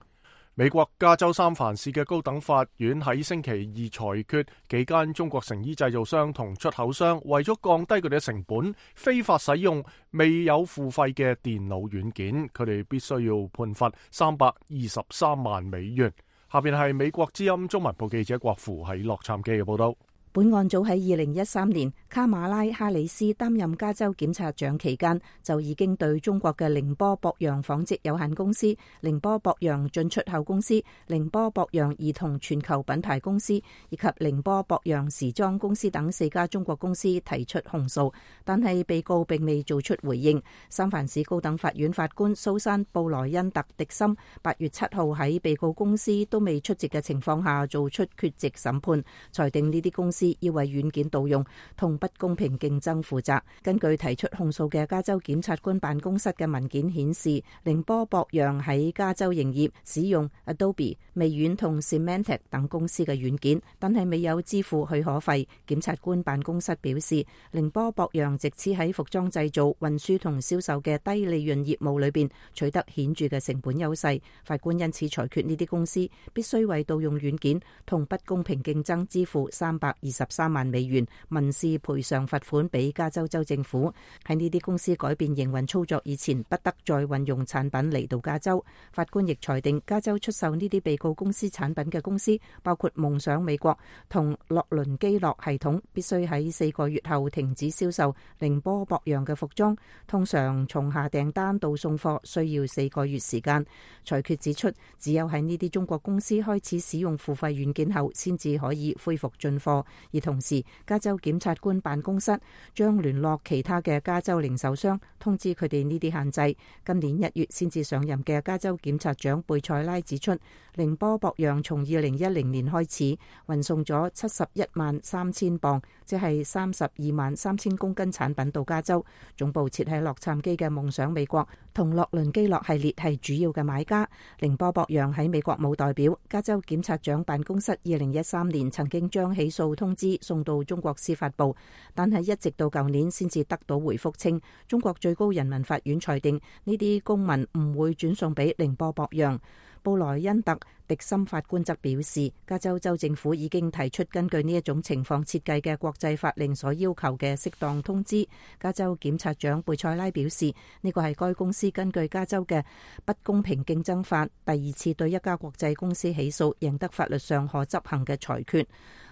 美國加州三藩市嘅高等法院喺星期二裁決，幾間中國成衣製造商同出口商為咗降低佢哋嘅成本，非法使用未有付費嘅電腦軟件，佢哋必須要判罰323萬美元。下邊係美國之音中文部記者郭芙喺洛杉磯嘅報道。本案早喺2013年，卡馬拉哈里斯擔任加州檢察長期間，就已經對中國嘅寧波博洋紡織有限公司、寧波博洋進出口公司、寧波博洋兒童全球品牌公司以及寧波博洋時裝公司等4家中國公司提出控訴，但係被告並未做出回應。三藩市高等法院法官蘇珊·布萊恩特·迪森8月7號喺被告公司都未出席嘅情況下做出缺席審判，裁定呢啲公司要為軟件盜用同不公平競爭負責。根據提出控訴嘅加州檢察官辦公室嘅文件顯示，寧波博洋喺加州營業，使用 Adobe、微軟同 Symantec 等公司嘅軟件，但係未有支付許可費。檢察官辦公室表示，寧波博洋藉此喺服裝製造、運輸同銷售嘅低利潤業務裏邊取得顯著嘅成本優勢。法官因此裁決呢啲公司必須為盜用軟件同不公平競爭支付323萬美元民事賠償罰款俾加州州政府。喺呢啲公司改變營運操作以前，不得再運用產品嚟到加州。法官亦裁定加州出售呢啲被告公司產品嘅公司，包括夢想美國同洛倫基樂系統，必須喺4個月後停止銷售寧波博洋嘅服裝。通常從下訂單到送貨需要4個月時間。裁決指出，只有喺呢啲中國公司開始使用付費軟件後，先至可以恢復進貨。而同時，加州檢察官辦公室將聯絡其他嘅加州零售商，通知佢哋呢啲限制。今年1月先至上任嘅加州檢察長貝塞拉指出，寧波博洋從2010年開始運送咗71萬3千磅，即係32萬3千公斤產品到加州。總部設喺洛杉磯嘅夢想美國同洛倫基樂系列係主要嘅買家。寧波博洋喺美國冇代表。加州檢察長辦公室2013年曾經將起訴通知送到中國司法部，但係一直到舊年先至得到回覆，稱中國最高人民法院裁定呢啲公文唔會轉送俾寧波博洋。布萊恩特·迪森法官則表示，加州州政府已經提出根據呢一種情況設計嘅國際法令所要求嘅適當通知。加州檢察長貝塞拉表示，呢個係該公司根據加州嘅不公平競爭法第二次對一家國際公司起訴，贏得法律上可執行嘅裁決。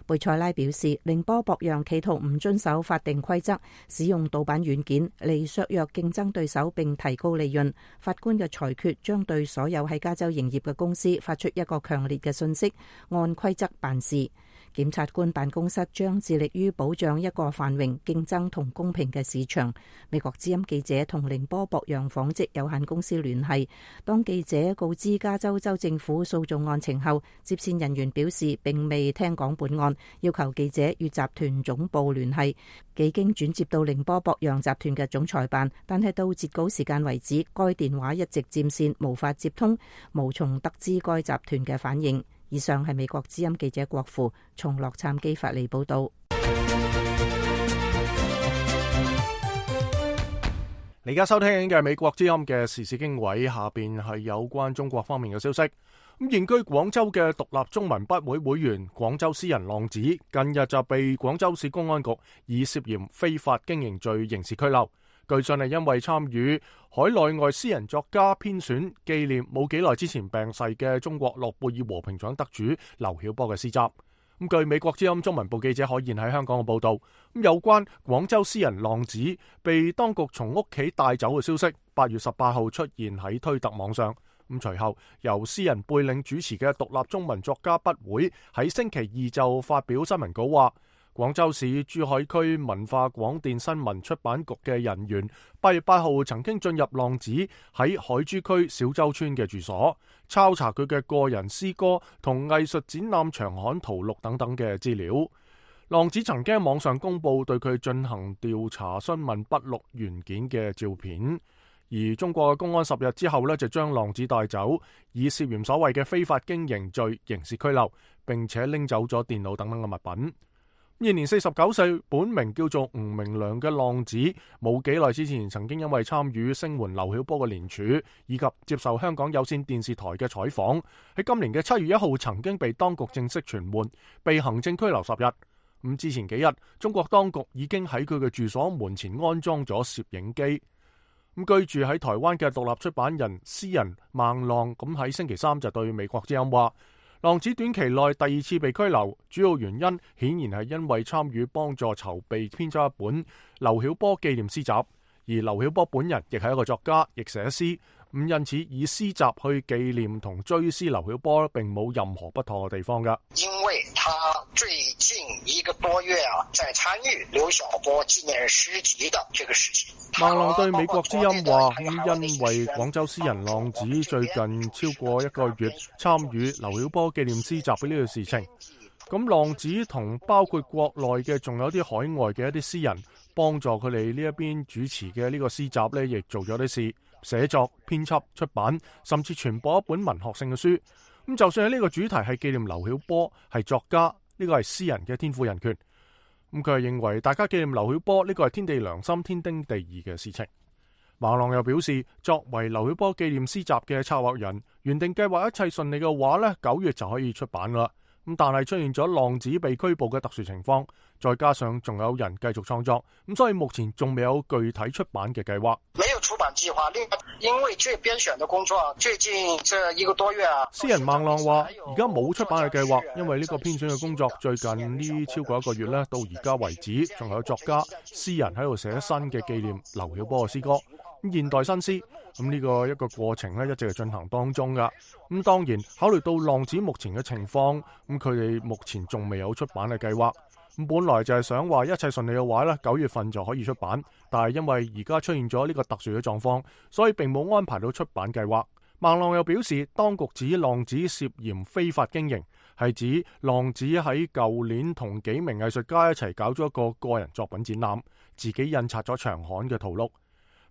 貝塞拉表示，寧波博洋企圖唔遵守法定規則，使用盜版軟件嚟削弱競爭對手並提高利潤。法官嘅裁決將對所有喺加州營業嘅公司發出一個強烈嘅訊息，按規則辦事。檢察官辦公室將致力於保障一個繁榮、競爭同公平嘅市場。美國之音記者同寧波博洋紡織有限公司聯繫，當記者告知加州州政府訴訟案情後，接線人員表示並未聽講本案，要求記者與集團總部聯繫。幾經轉接到寧波博洋集團嘅總裁辦，但係到截稿時間為止，該電話一直佔線，無法接通，無從得知該集團嘅反應。以上係美國之音記者郭富從洛杉磯發嚟報道。你而家收聽緊嘅美國之音嘅時事經緯，下邊係有關中國方面嘅消息。咁現居廣州嘅獨立中文筆會會員廣州詩人浪子，近日就被廣州市公安局以涉嫌非法經營罪刑事拘留。據信係因為參與海內外詩人作家編選紀念冇幾耐之前病逝嘅中國諾貝爾和平獎得主劉曉波嘅詩集。咁據美國之音中文部記者海燕喺香港嘅報道，咁有關廣州詩人浪子被當局從屋企帶走嘅消息，8月18號出現喺推特網上。咁隨後由詩人貝領主持嘅獨立中文作家筆會喺星期二就發表新聞稿話，廣州市珠海區文化廣電新聞出版局嘅人員8月8號曾經進入浪子喺海珠區小洲村嘅住所，抄查佢嘅個人詩歌同藝術展覽長刊圖錄等等嘅資料。浪子曾經喺網上公布對佢進行調查詢問筆錄原件嘅照片，而中國嘅公安10日之後就將浪子帶走，以涉嫌所謂嘅非法經營罪刑事拘留，並且拎走咗電腦等等嘅物品。現年49歲，本名叫做吳明良嘅浪子，冇幾耐之前曾經因為參與聲援劉曉波嘅聯署，以及接受香港有線電視台嘅採訪，喺今年嘅7月1號曾經被當局正式傳喚，被行政拘留10日。咁之前幾日，中國當局已經喺佢嘅住所門前安裝咗攝影機。咁居住喺台灣嘅獨立出版人詩人孟浪，咁喺星期3就對美國之音話，浪子短期內第2次被拘留，主要原因顯然係因為參與幫助籌備編輯一本劉曉波紀念詩集，而劉曉波本人亦係一個作家，亦寫詩，咁因此以詩集去紀念同追思劉曉波並冇任何不妥嘅地方㗎。因為他最近1個多月在參與劉曉波紀念詩集的這個事情。孟浪對美國之音話，因為廣州詩人浪子最近超過1個月參與劉曉波紀念詩集嘅呢個事情，咁浪子同包括國內嘅仲有啲海外嘅一啲詩人幫助佢哋呢一邊主持嘅呢個詩集呢，亦做咗啲事，寫作、編輯、出版，甚至傳播一本文學性嘅書。咁就算喺呢個主題係紀念劉曉波係作家，呢個係詩人嘅天賦人權。咁佢係認為大家紀念劉曉波呢個係天地良心、天經地義嘅事情。孟浪又表示，作為劉曉波紀念詩集嘅策劃人，原定計劃一切順利嘅話呢，9月就可以出版啦。咁但係出現咗浪子被拘捕嘅特殊情況，再加上仲有人繼續創作，咁所以目前仲未有具體出版嘅計劃。沒有出版計劃，另外因為這編選的工作最近這1個多月詩人孟浪話，而家冇出版嘅計劃，因為呢個編選嘅工作最近呢超過1個月呢，到而家為止，仲有作家、詩人喺度寫新嘅紀念劉曉波嘅詩歌。咁現代新詩，咁呢個一個過程呢，一直係進行當中噶。咁當然考慮到浪子目前嘅情況，咁佢哋目前仲未有出版嘅計劃。咁本來就係想話一切順利嘅話呢，9月份就可以出版，但係因為而家出現咗呢個特殊嘅狀況，所以並冇安排到出版計劃。孟浪又表示，當局指浪子涉嫌非法經營，係指浪子喺舊年同幾名藝術家一齊搞咗一個個人作品展覽，自己印刷咗長刊嘅圖錄。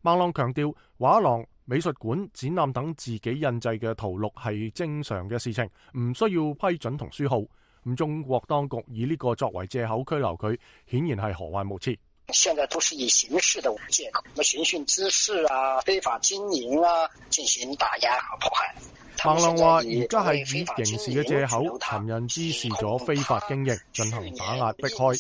孟浪強調，畫廊、美術館、展覽等自己印製嘅圖錄係正常嘅事情，唔需要批准同書號。咁中國當局以呢個作為借口拘留佢，顯然係何患無辭。現在都是以形式的借口，什麼尋釁滋事啊、非法經營啊，進行打壓和迫害。孟亮話：而家係以刑事嘅藉口，尋釁滋事咗非法經營，進行打壓迫害。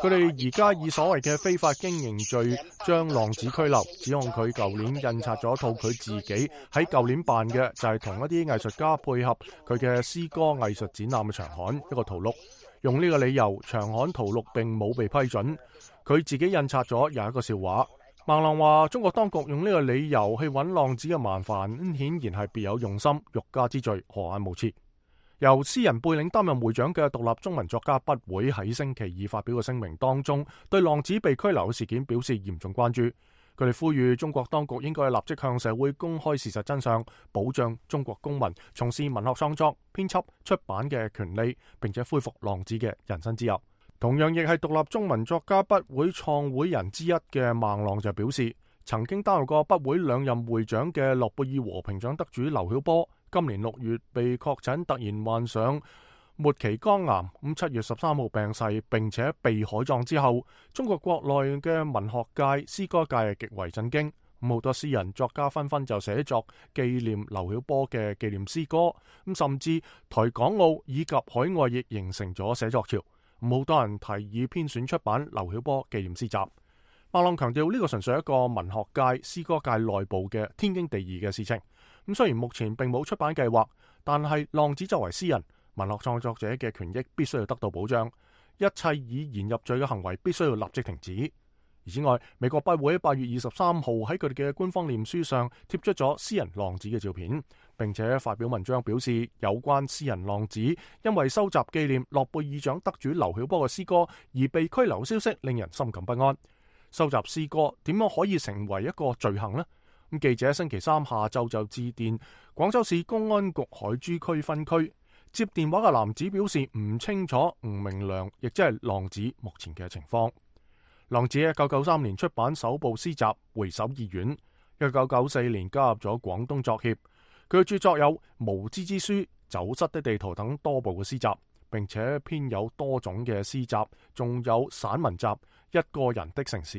佢哋而家以所謂嘅非法經營罪將浪子拘留，指控佢舊年印刷咗套佢自己喺舊年辦嘅就係同一啲藝術家配合佢嘅詩歌藝術展覽嘅長刊一個圖錄，用呢個理由長刊圖錄並冇被批准。佢自己印刷咗有一個笑話。孟亮話：中國當局用呢個理由去揾浪子嘅麻煩，顯然係別有用心，欲加之罪，何眼無辭。由詩人貝嶺擔任會長嘅獨立中文作家筆會喺星期二發表嘅聲明當中，對浪子被拘留嘅事件表示嚴重關注。佢哋呼籲中國當局應該立即向社會公開事實真相，保障中國公民從事文學創作、編輯、出版嘅權利，並且恢復浪子嘅人身自由。同樣亦係獨立中文作家筆會創會人之一嘅孟浪就表示，曾經擔任過筆會兩任會長嘅諾貝爾和平獎得主劉曉波，今年6月被確診突然患上末期肝癌，7月13號病逝，並且被海葬之後，中國國內嘅文學界、詩歌界係極為震驚。好多詩人作家紛紛就寫作紀念劉曉波嘅紀念詩歌，甚至台港澳以及海外亦形成咗寫作潮。好多人提議編選出版劉曉波紀念詩集。孟浪強調呢個純粹係一個文學界、詩歌界內部嘅天經地義嘅事情。雖然目前並冇出版計劃，但係浪子作為詩人、文學創作者嘅權益必須要得到保障，一切以言入罪嘅行為必須要立即停止。此外，美國筆會喺8月23號喺佢哋嘅官方臉書上貼出咗詩人浪子嘅照片，並且發表文章表示，有關詩人浪子因為收集紀念諾貝爾獎得主劉曉波嘅詩歌而被拘留消息令人心感不安。收集詩歌點樣可以成為一個罪行呢？記者星期三下晝就致電廣州市公安局海珠區分區，接電話嘅男子表示唔清楚吳明亮，亦即係浪子目前嘅情況。浪子1993年出版首部詩集《回首二院》，1994年加入咗廣東作協。佢嘅著作有《無知之書》、《走失的地圖》等多部嘅詩集，並且編有多種嘅詩集，仲有散文集《一個人的城市》、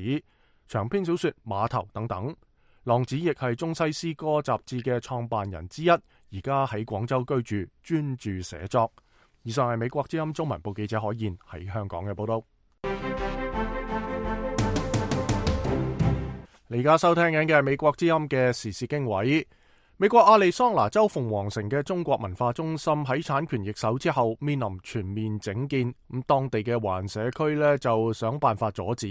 長篇小說《碼頭》等等。浪子亦係中西詩歌雜誌嘅創辦人之一，而家喺廣州居住，專注寫作。以上係美國之音中文部記者海燕喺香港嘅報道。你而家收聽緊嘅係美國之音嘅時事經緯。美國亞利桑那州鳳凰城嘅中國文化中心喺產權易手之後面臨全面整建，當地嘅華人社區呢就想辦法阻止。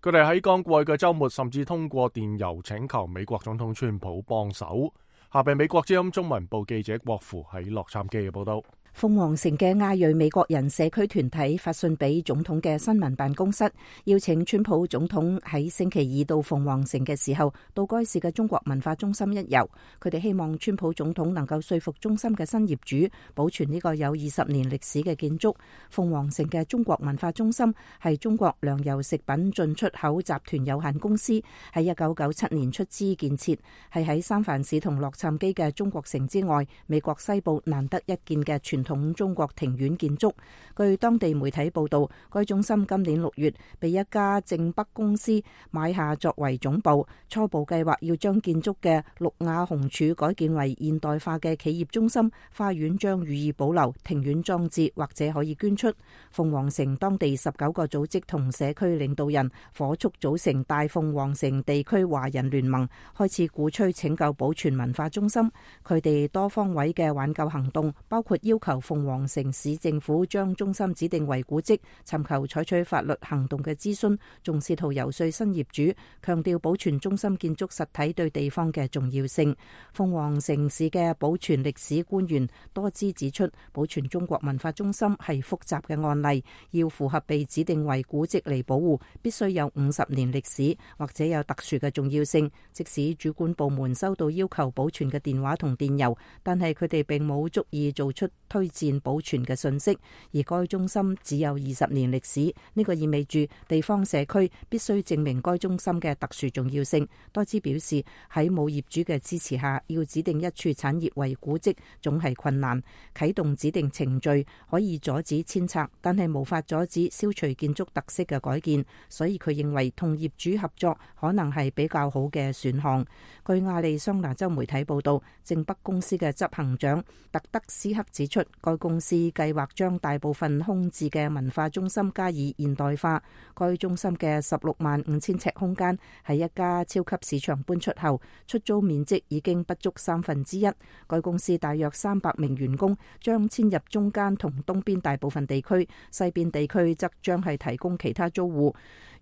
佢哋喺剛過去嘅週末甚至通過電郵請求美國總統川普幫手。下邊美國之音中文部記者郭芙喺洛杉磯嘅報道。鳳凰城嘅亞裔美國人社區團體發信俾總統嘅新聞辦公室，邀請川普總統喺星期二到鳳凰城嘅時候到該市嘅中國文化中心一遊。佢哋希望川普總統能夠說服中心嘅新業主保存呢個有20年歷史嘅建築。鳳凰城嘅中國文化中心係中國糧油食品進出口集團有限公司喺1997年出資建設，係喺三藩市同洛杉磯嘅中國城之外，美國西部難得一見嘅傳統中國庭院建築。據當地媒體報道，該中心今年6月被一家正北公司買下作為總部，初步計劃要將建築嘅綠瓦紅柱改建為現代化嘅企業中心，花園將予以保留，庭院裝置或者可以捐出。鳳凰城當地19個組織同社區領導人火速組成大鳳凰城地區華人聯盟，開始鼓吹拯救保存文化中心。佢哋多方位嘅挽救行動包括要求鳳凰城市政府將中心指定為古蹟，尋求採取法律行動嘅諮詢，仲試圖遊說新業主，強調保存中心建築實體對地方嘅重要性。鳳凰城市嘅保存歷史官員多次指出，保存中國文化中心係複雜嘅案例，要符合被指定為古蹟嚟保護，必須有50年歷史或者有特殊嘅重要性。即使主管部門收到要求保存嘅電話同電郵，但係佢哋並冇足以做出推推薦保存嘅信息，而該中心只有20年歷史，呢個意味住地方社區必須證明該中心嘅特殊重要性。多茲表示，喺冇業主嘅支持下，要指定一處產業為古蹟總係困難。啟動指定程序可以阻止遷拆，但係無法阻止消除建築特色嘅改建，所以佢認為同業主合作可能係比較好嘅選項。據亞利桑那州媒體報道，正北公司嘅執行長特德斯克指出，該公司計劃將大部分空置嘅文化中心加以現代化。該中心嘅165000尺空間喺一家超級市場搬出後，出租面積已經不足1/3。該公司大約300名員工將遷入中間同東邊大部分地區，西邊地區則將係提供其他租戶。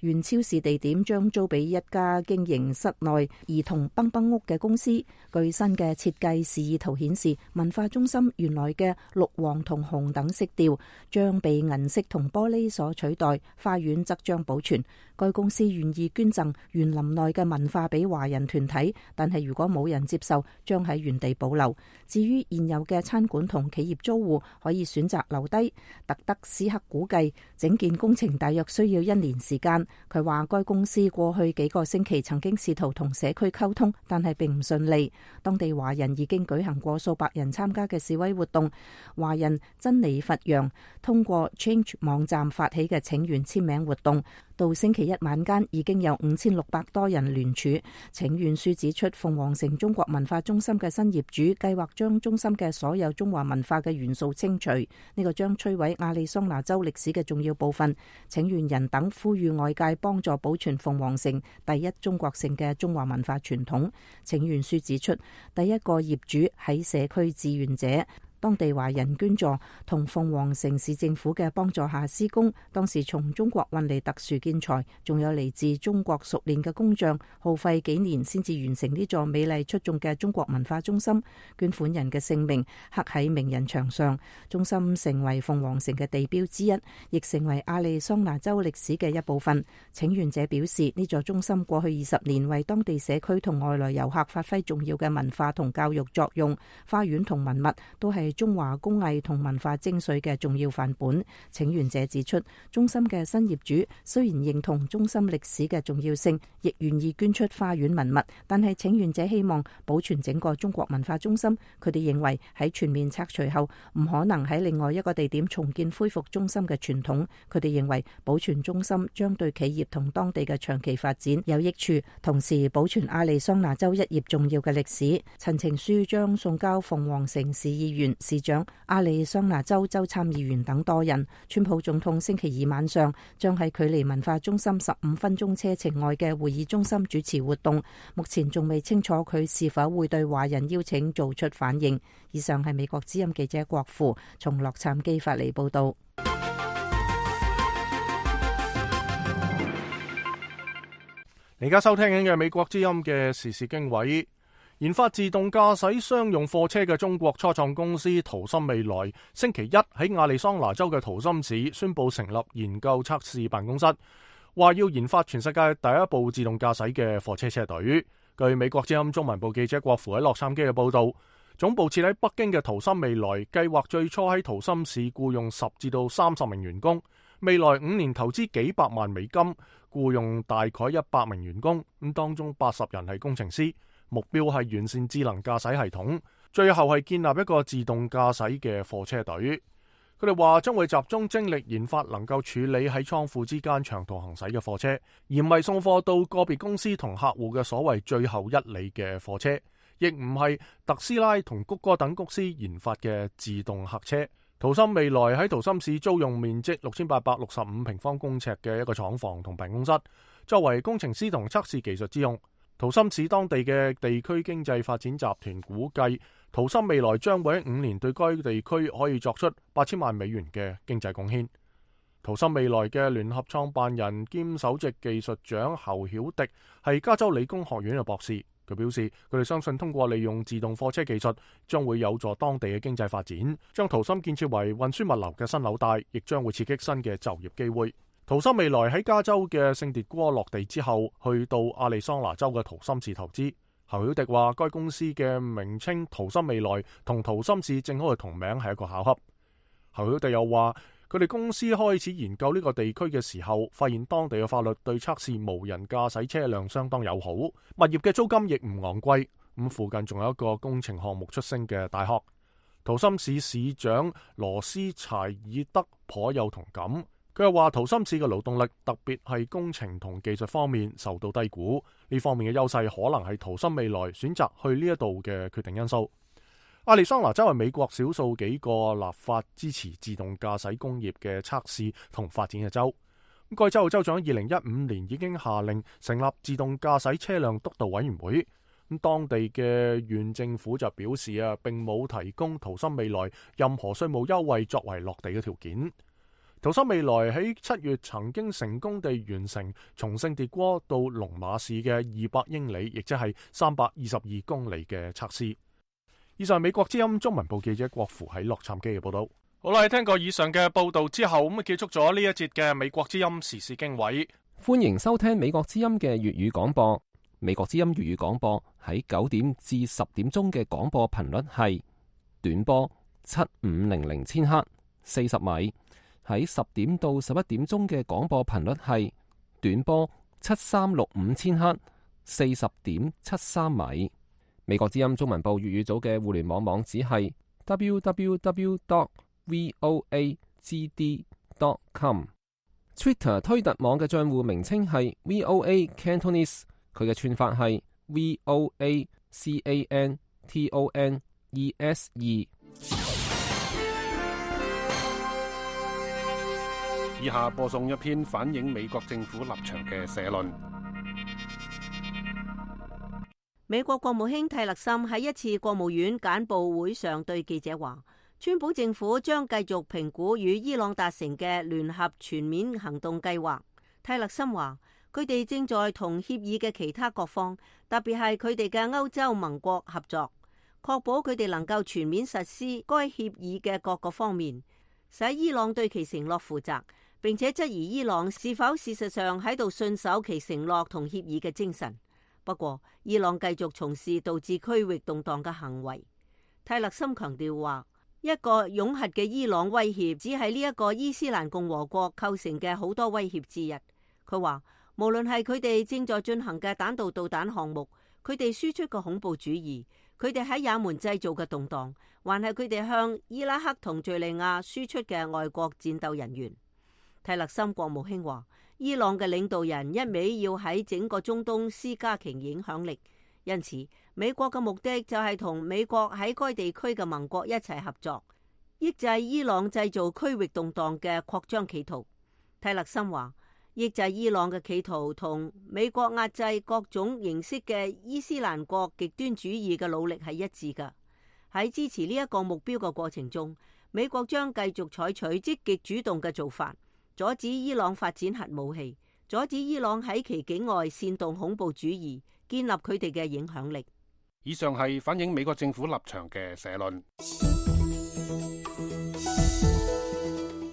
原超市地點將租俾一家經營室內兒童蹦蹦屋嘅公司。據新嘅設計示意圖顯示，文化中心原來嘅綠、黃同紅等色調將被銀色同玻璃所取代，花園則將保存。該公司願意捐贈園林內嘅文化俾華人團體，但係如果冇人接受，將喺原地保留。至於現有嘅餐館同企業租戶可以選擇留低。特德斯克估計整件工程大約需要1年時間。佢話該公司過去幾個星期曾經試圖同社區溝通，但係並唔順利。當地華人已經舉行過數百人參加嘅示威活動。華人珍妮佛揚通過 Change 網站發起嘅請願簽名活動，到星期一晚間已經有5600多人聯署。請願書指出，鳳凰城中國文化中心嘅新業主計劃將中心嘅所有中華文化嘅元素清除，呢個將摧毀亞利桑那州歷史嘅重要部分。請願人等呼籲外界幫助保存鳳凰城第一中國城嘅中華文化傳統。請願書指出，第一個業主喺社區志願者，當地華人捐助同鳳凰城市政府嘅幫助下施工，當時從中國運嚟特殊建材，仲有嚟自中國熟練嘅工匠，耗費幾年先至完成呢座美麗出眾嘅中國文化中心。捐款人嘅姓名刻喺名人牆上，中心成為鳳凰城嘅地標之一，亦成為亞利桑那州歷史嘅一部分。請願者表示，呢座中心過去20年為當地社區同外來遊客發揮重要嘅文化同教育作用，花園同文物都係中華工藝同文化精髓嘅重要範本。請願者指出，中心嘅新業主雖然認同中心歷史嘅重要性，亦願意捐出花園文物，但係請願者希望保存整個中國文化中心。佢哋認為喺全面拆除後，唔可能喺另外一個地點重建恢復中心嘅傳統。佢哋認為保存中心將對企業同當地嘅長期發展有益處，同時保存亞利桑那州一頁重要嘅歷史。陳情書將送交鳳凰城市議員、市長、亞利桑那州州參議員等多人。川普總統星期二晚上將喺距離文化中心15分鐘車程外嘅會議中心主持活動，目前仲未清楚佢是否會對華人邀請做出反應。以上係美國之音記者郭富從洛杉磯發嚟報道。而家收聽緊嘅美國之音嘅時事經緯。研發自動駕駛商用貨車嘅中國初創公司圖森未來星期一喺亞利桑那州嘅圖森市宣布成立研究測試辦公室，話要研發全世界第一部自動駕駛嘅貨車車隊。據美國之音中文部記者郭芙喺洛杉磯嘅報道，總部設喺北京嘅圖森未來計劃最初喺圖森市僱用10至到30名員工，未來5年投資幾百萬美金，僱用大概100名員工，咁當中80人係工程師。目標係完善智能駕駛系統，最後係建立一個自動駕駛嘅貨車隊。佢哋話將會集中精力研發能夠處理喺倉庫之間長途行駛嘅貨車，而唔係送貨到個別公司同客戶嘅所謂最後一里嘅貨車，亦唔係特斯拉同谷歌等公司研發嘅自動客車。圖森未來喺圖森市租用面積6865平方公尺嘅一個廠房同辦公室，作為工程師同測試技術之用。圖森市當地嘅地區經濟發展集團估計，圖森未來將會喺5年對該地區可以作出8000萬美元嘅經濟貢獻。圖森未來嘅聯合創辦人兼首席技術長侯曉迪係加州理工學院嘅博士，佢表示佢哋相信通過利用自動貨車技術，將會有助當地嘅經濟發展，將圖森建設為運輸物流嘅新紐帶，亦將會刺激新嘅就業機會。圖森未來喺加州嘅聖迭戈落地之後，去到亞利桑那州嘅圖森市投資。侯曉迪話，該公司嘅名稱淘森未來同淘森市正好係同名，係一個巧合。侯曉迪又話，佢哋公司開始研究呢個地區嘅時候，發現當地嘅法律對測試無人駕駛車輛相當友好，物業嘅租金亦唔昂貴。咁附近仲有一個工程項目出身嘅大學。淘森市市長羅斯柴爾德頗有同感，佢又話淘森市嘅勞動力，特別係工程同技術方面受到低估，呢方面嘅優勢可能係淘森未來選擇去呢一度嘅決定因素。亞利桑那州係美國少數幾個立法支持自動駕駛工業嘅測試同發展嘅州。該州嘅州長2015年已經下令成立自動駕駛車輛督導委員會。咁當地嘅縣政府就表示並冇提供淘森未來任何稅務優惠作為落地嘅條件。淘森未來喺7月曾經成功地完成從聖迭戈到龍馬市嘅200英里，亦即係322公里嘅測試。以上係美國之音中文部記者郭符喺洛杉磯嘅報道。好啦，聽過以上嘅報道之後，咁結束咗呢一節嘅美國之音時事經緯。歡迎收聽美國之音嘅粵語廣播。美國之音粵語廣播喺9點至10點鐘嘅廣播頻率係短波7500千赫40米，喺10點到11點鐘嘅廣播頻率係短波7365千赫40.73米。美國之音中文部粵語組嘅互聯網網址係 www.voagd.com。Twitter 推特網嘅賬戶名稱係 VOA Cantonese。佢嘅串法係 VOACANTONESE。以下播送一篇反映美國政府立場嘅社論。美國國務卿蒂勒森喺一次國務院簡報會上對記者話，川普政府將繼續評估與伊朗達成嘅聯合全面行動計劃。蒂勒森話，佢哋正在同協議嘅其他各方，特別係佢哋嘅歐洲盟國合作，確保佢哋能夠全面實施該協議嘅各個方面，使伊朗對其承諾負責，並且質疑伊朗是否事實上喺度信守其承諾同協議嘅精神。不過，伊朗繼續從事導致區域動盪嘅行為。蒂勒森強調話，一個擁核嘅伊朗威脅只係呢一個伊斯蘭共和國構成嘅好多威脅之一。佢話，無論係佢哋正在進行嘅彈道導彈項目，佢哋輸出嘅恐怖主義，佢哋喺也門製造嘅動盪，還係佢哋向伊拉克同敘利亞輸出嘅外國戰鬥人員。蒂勒森國務卿話，伊朗嘅領導人一味要喺整個中東施加其影響力，因此美國嘅目的就係同美國喺該地區嘅盟國一齊合作，抑制伊朗製造區域動盪嘅擴張企圖。蒂勒森話，抑制伊朗嘅企圖同美國壓制各種形式嘅伊斯蘭國極端主義嘅努力係一致㗎。喺支持呢一個目標嘅過程中，美國將繼續採取積極主動嘅做法，阻止伊朗發展核武器，阻止伊朗喺其境外煽動恐怖主義，建立佢哋嘅影響力。以上係反映美國政府立場嘅社論。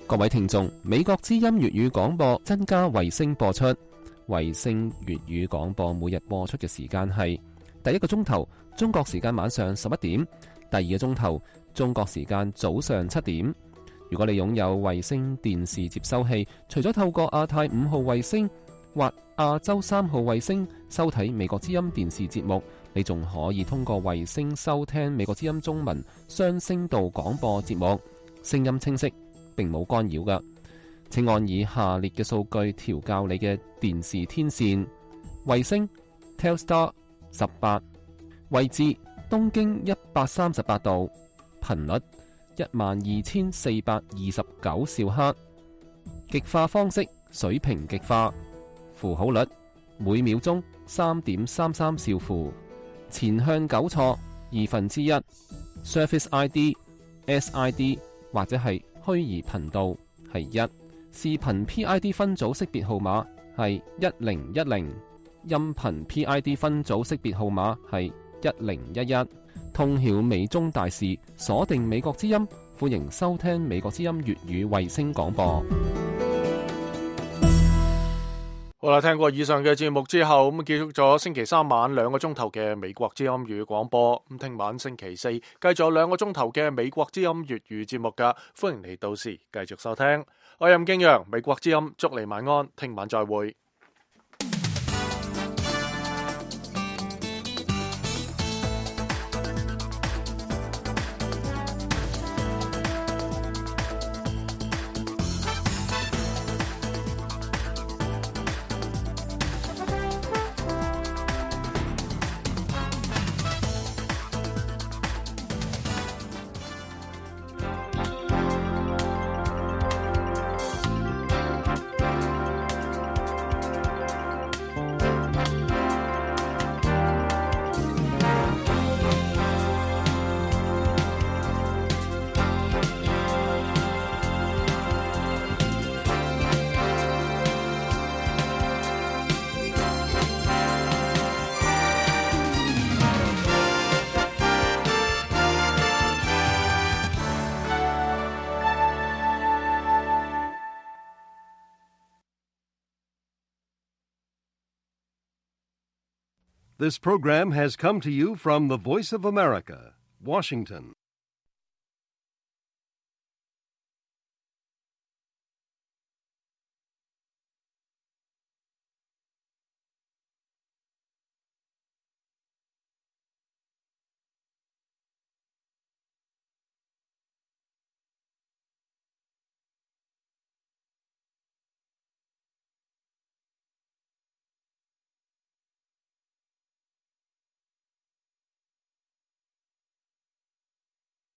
各位聽眾，美國之音粵語廣播增加衛星播出。衛星粵語廣播每日播出嘅時間係第一個鐘頭中國時間晚上11點，第二個鐘頭中國時間早上7點。如果你擁有衛星電視接收器，除咗透過亞太5號衛星或亞洲3號衛星收睇美國之音電視節目，你仲可以通過衛星收聽美國之音中文雙聲道廣播節目，聲音清晰，並冇干擾㗎。請按以下列嘅數據調校你嘅電視天線：衛星 Telstar 18，位置東經138度，頻率12429兆赫，極化方式水平極化，符號率每秒鐘3.33兆符，前向糾錯1/2， Surface ID SID 或者係虛擬頻道係1，視頻 PID 分組識別號碼係1010，音頻 PID 分組識別號碼係1011。通曉美中大事，鎖定美國之音，歡迎收聽美國之音粵語衛星廣播。好啦，聽過以上嘅節目之後，咁結束咗星期三晚2個鐘頭嘅美國之音粵語廣播。咁聽晚星期四繼續有2個鐘頭嘅美國之音粵語節目噶，歡迎你到時繼續收聽。我係任敬陽，美國之音，祝你晚安，聽晚再會。This program has come to you from the Voice of America, Washington.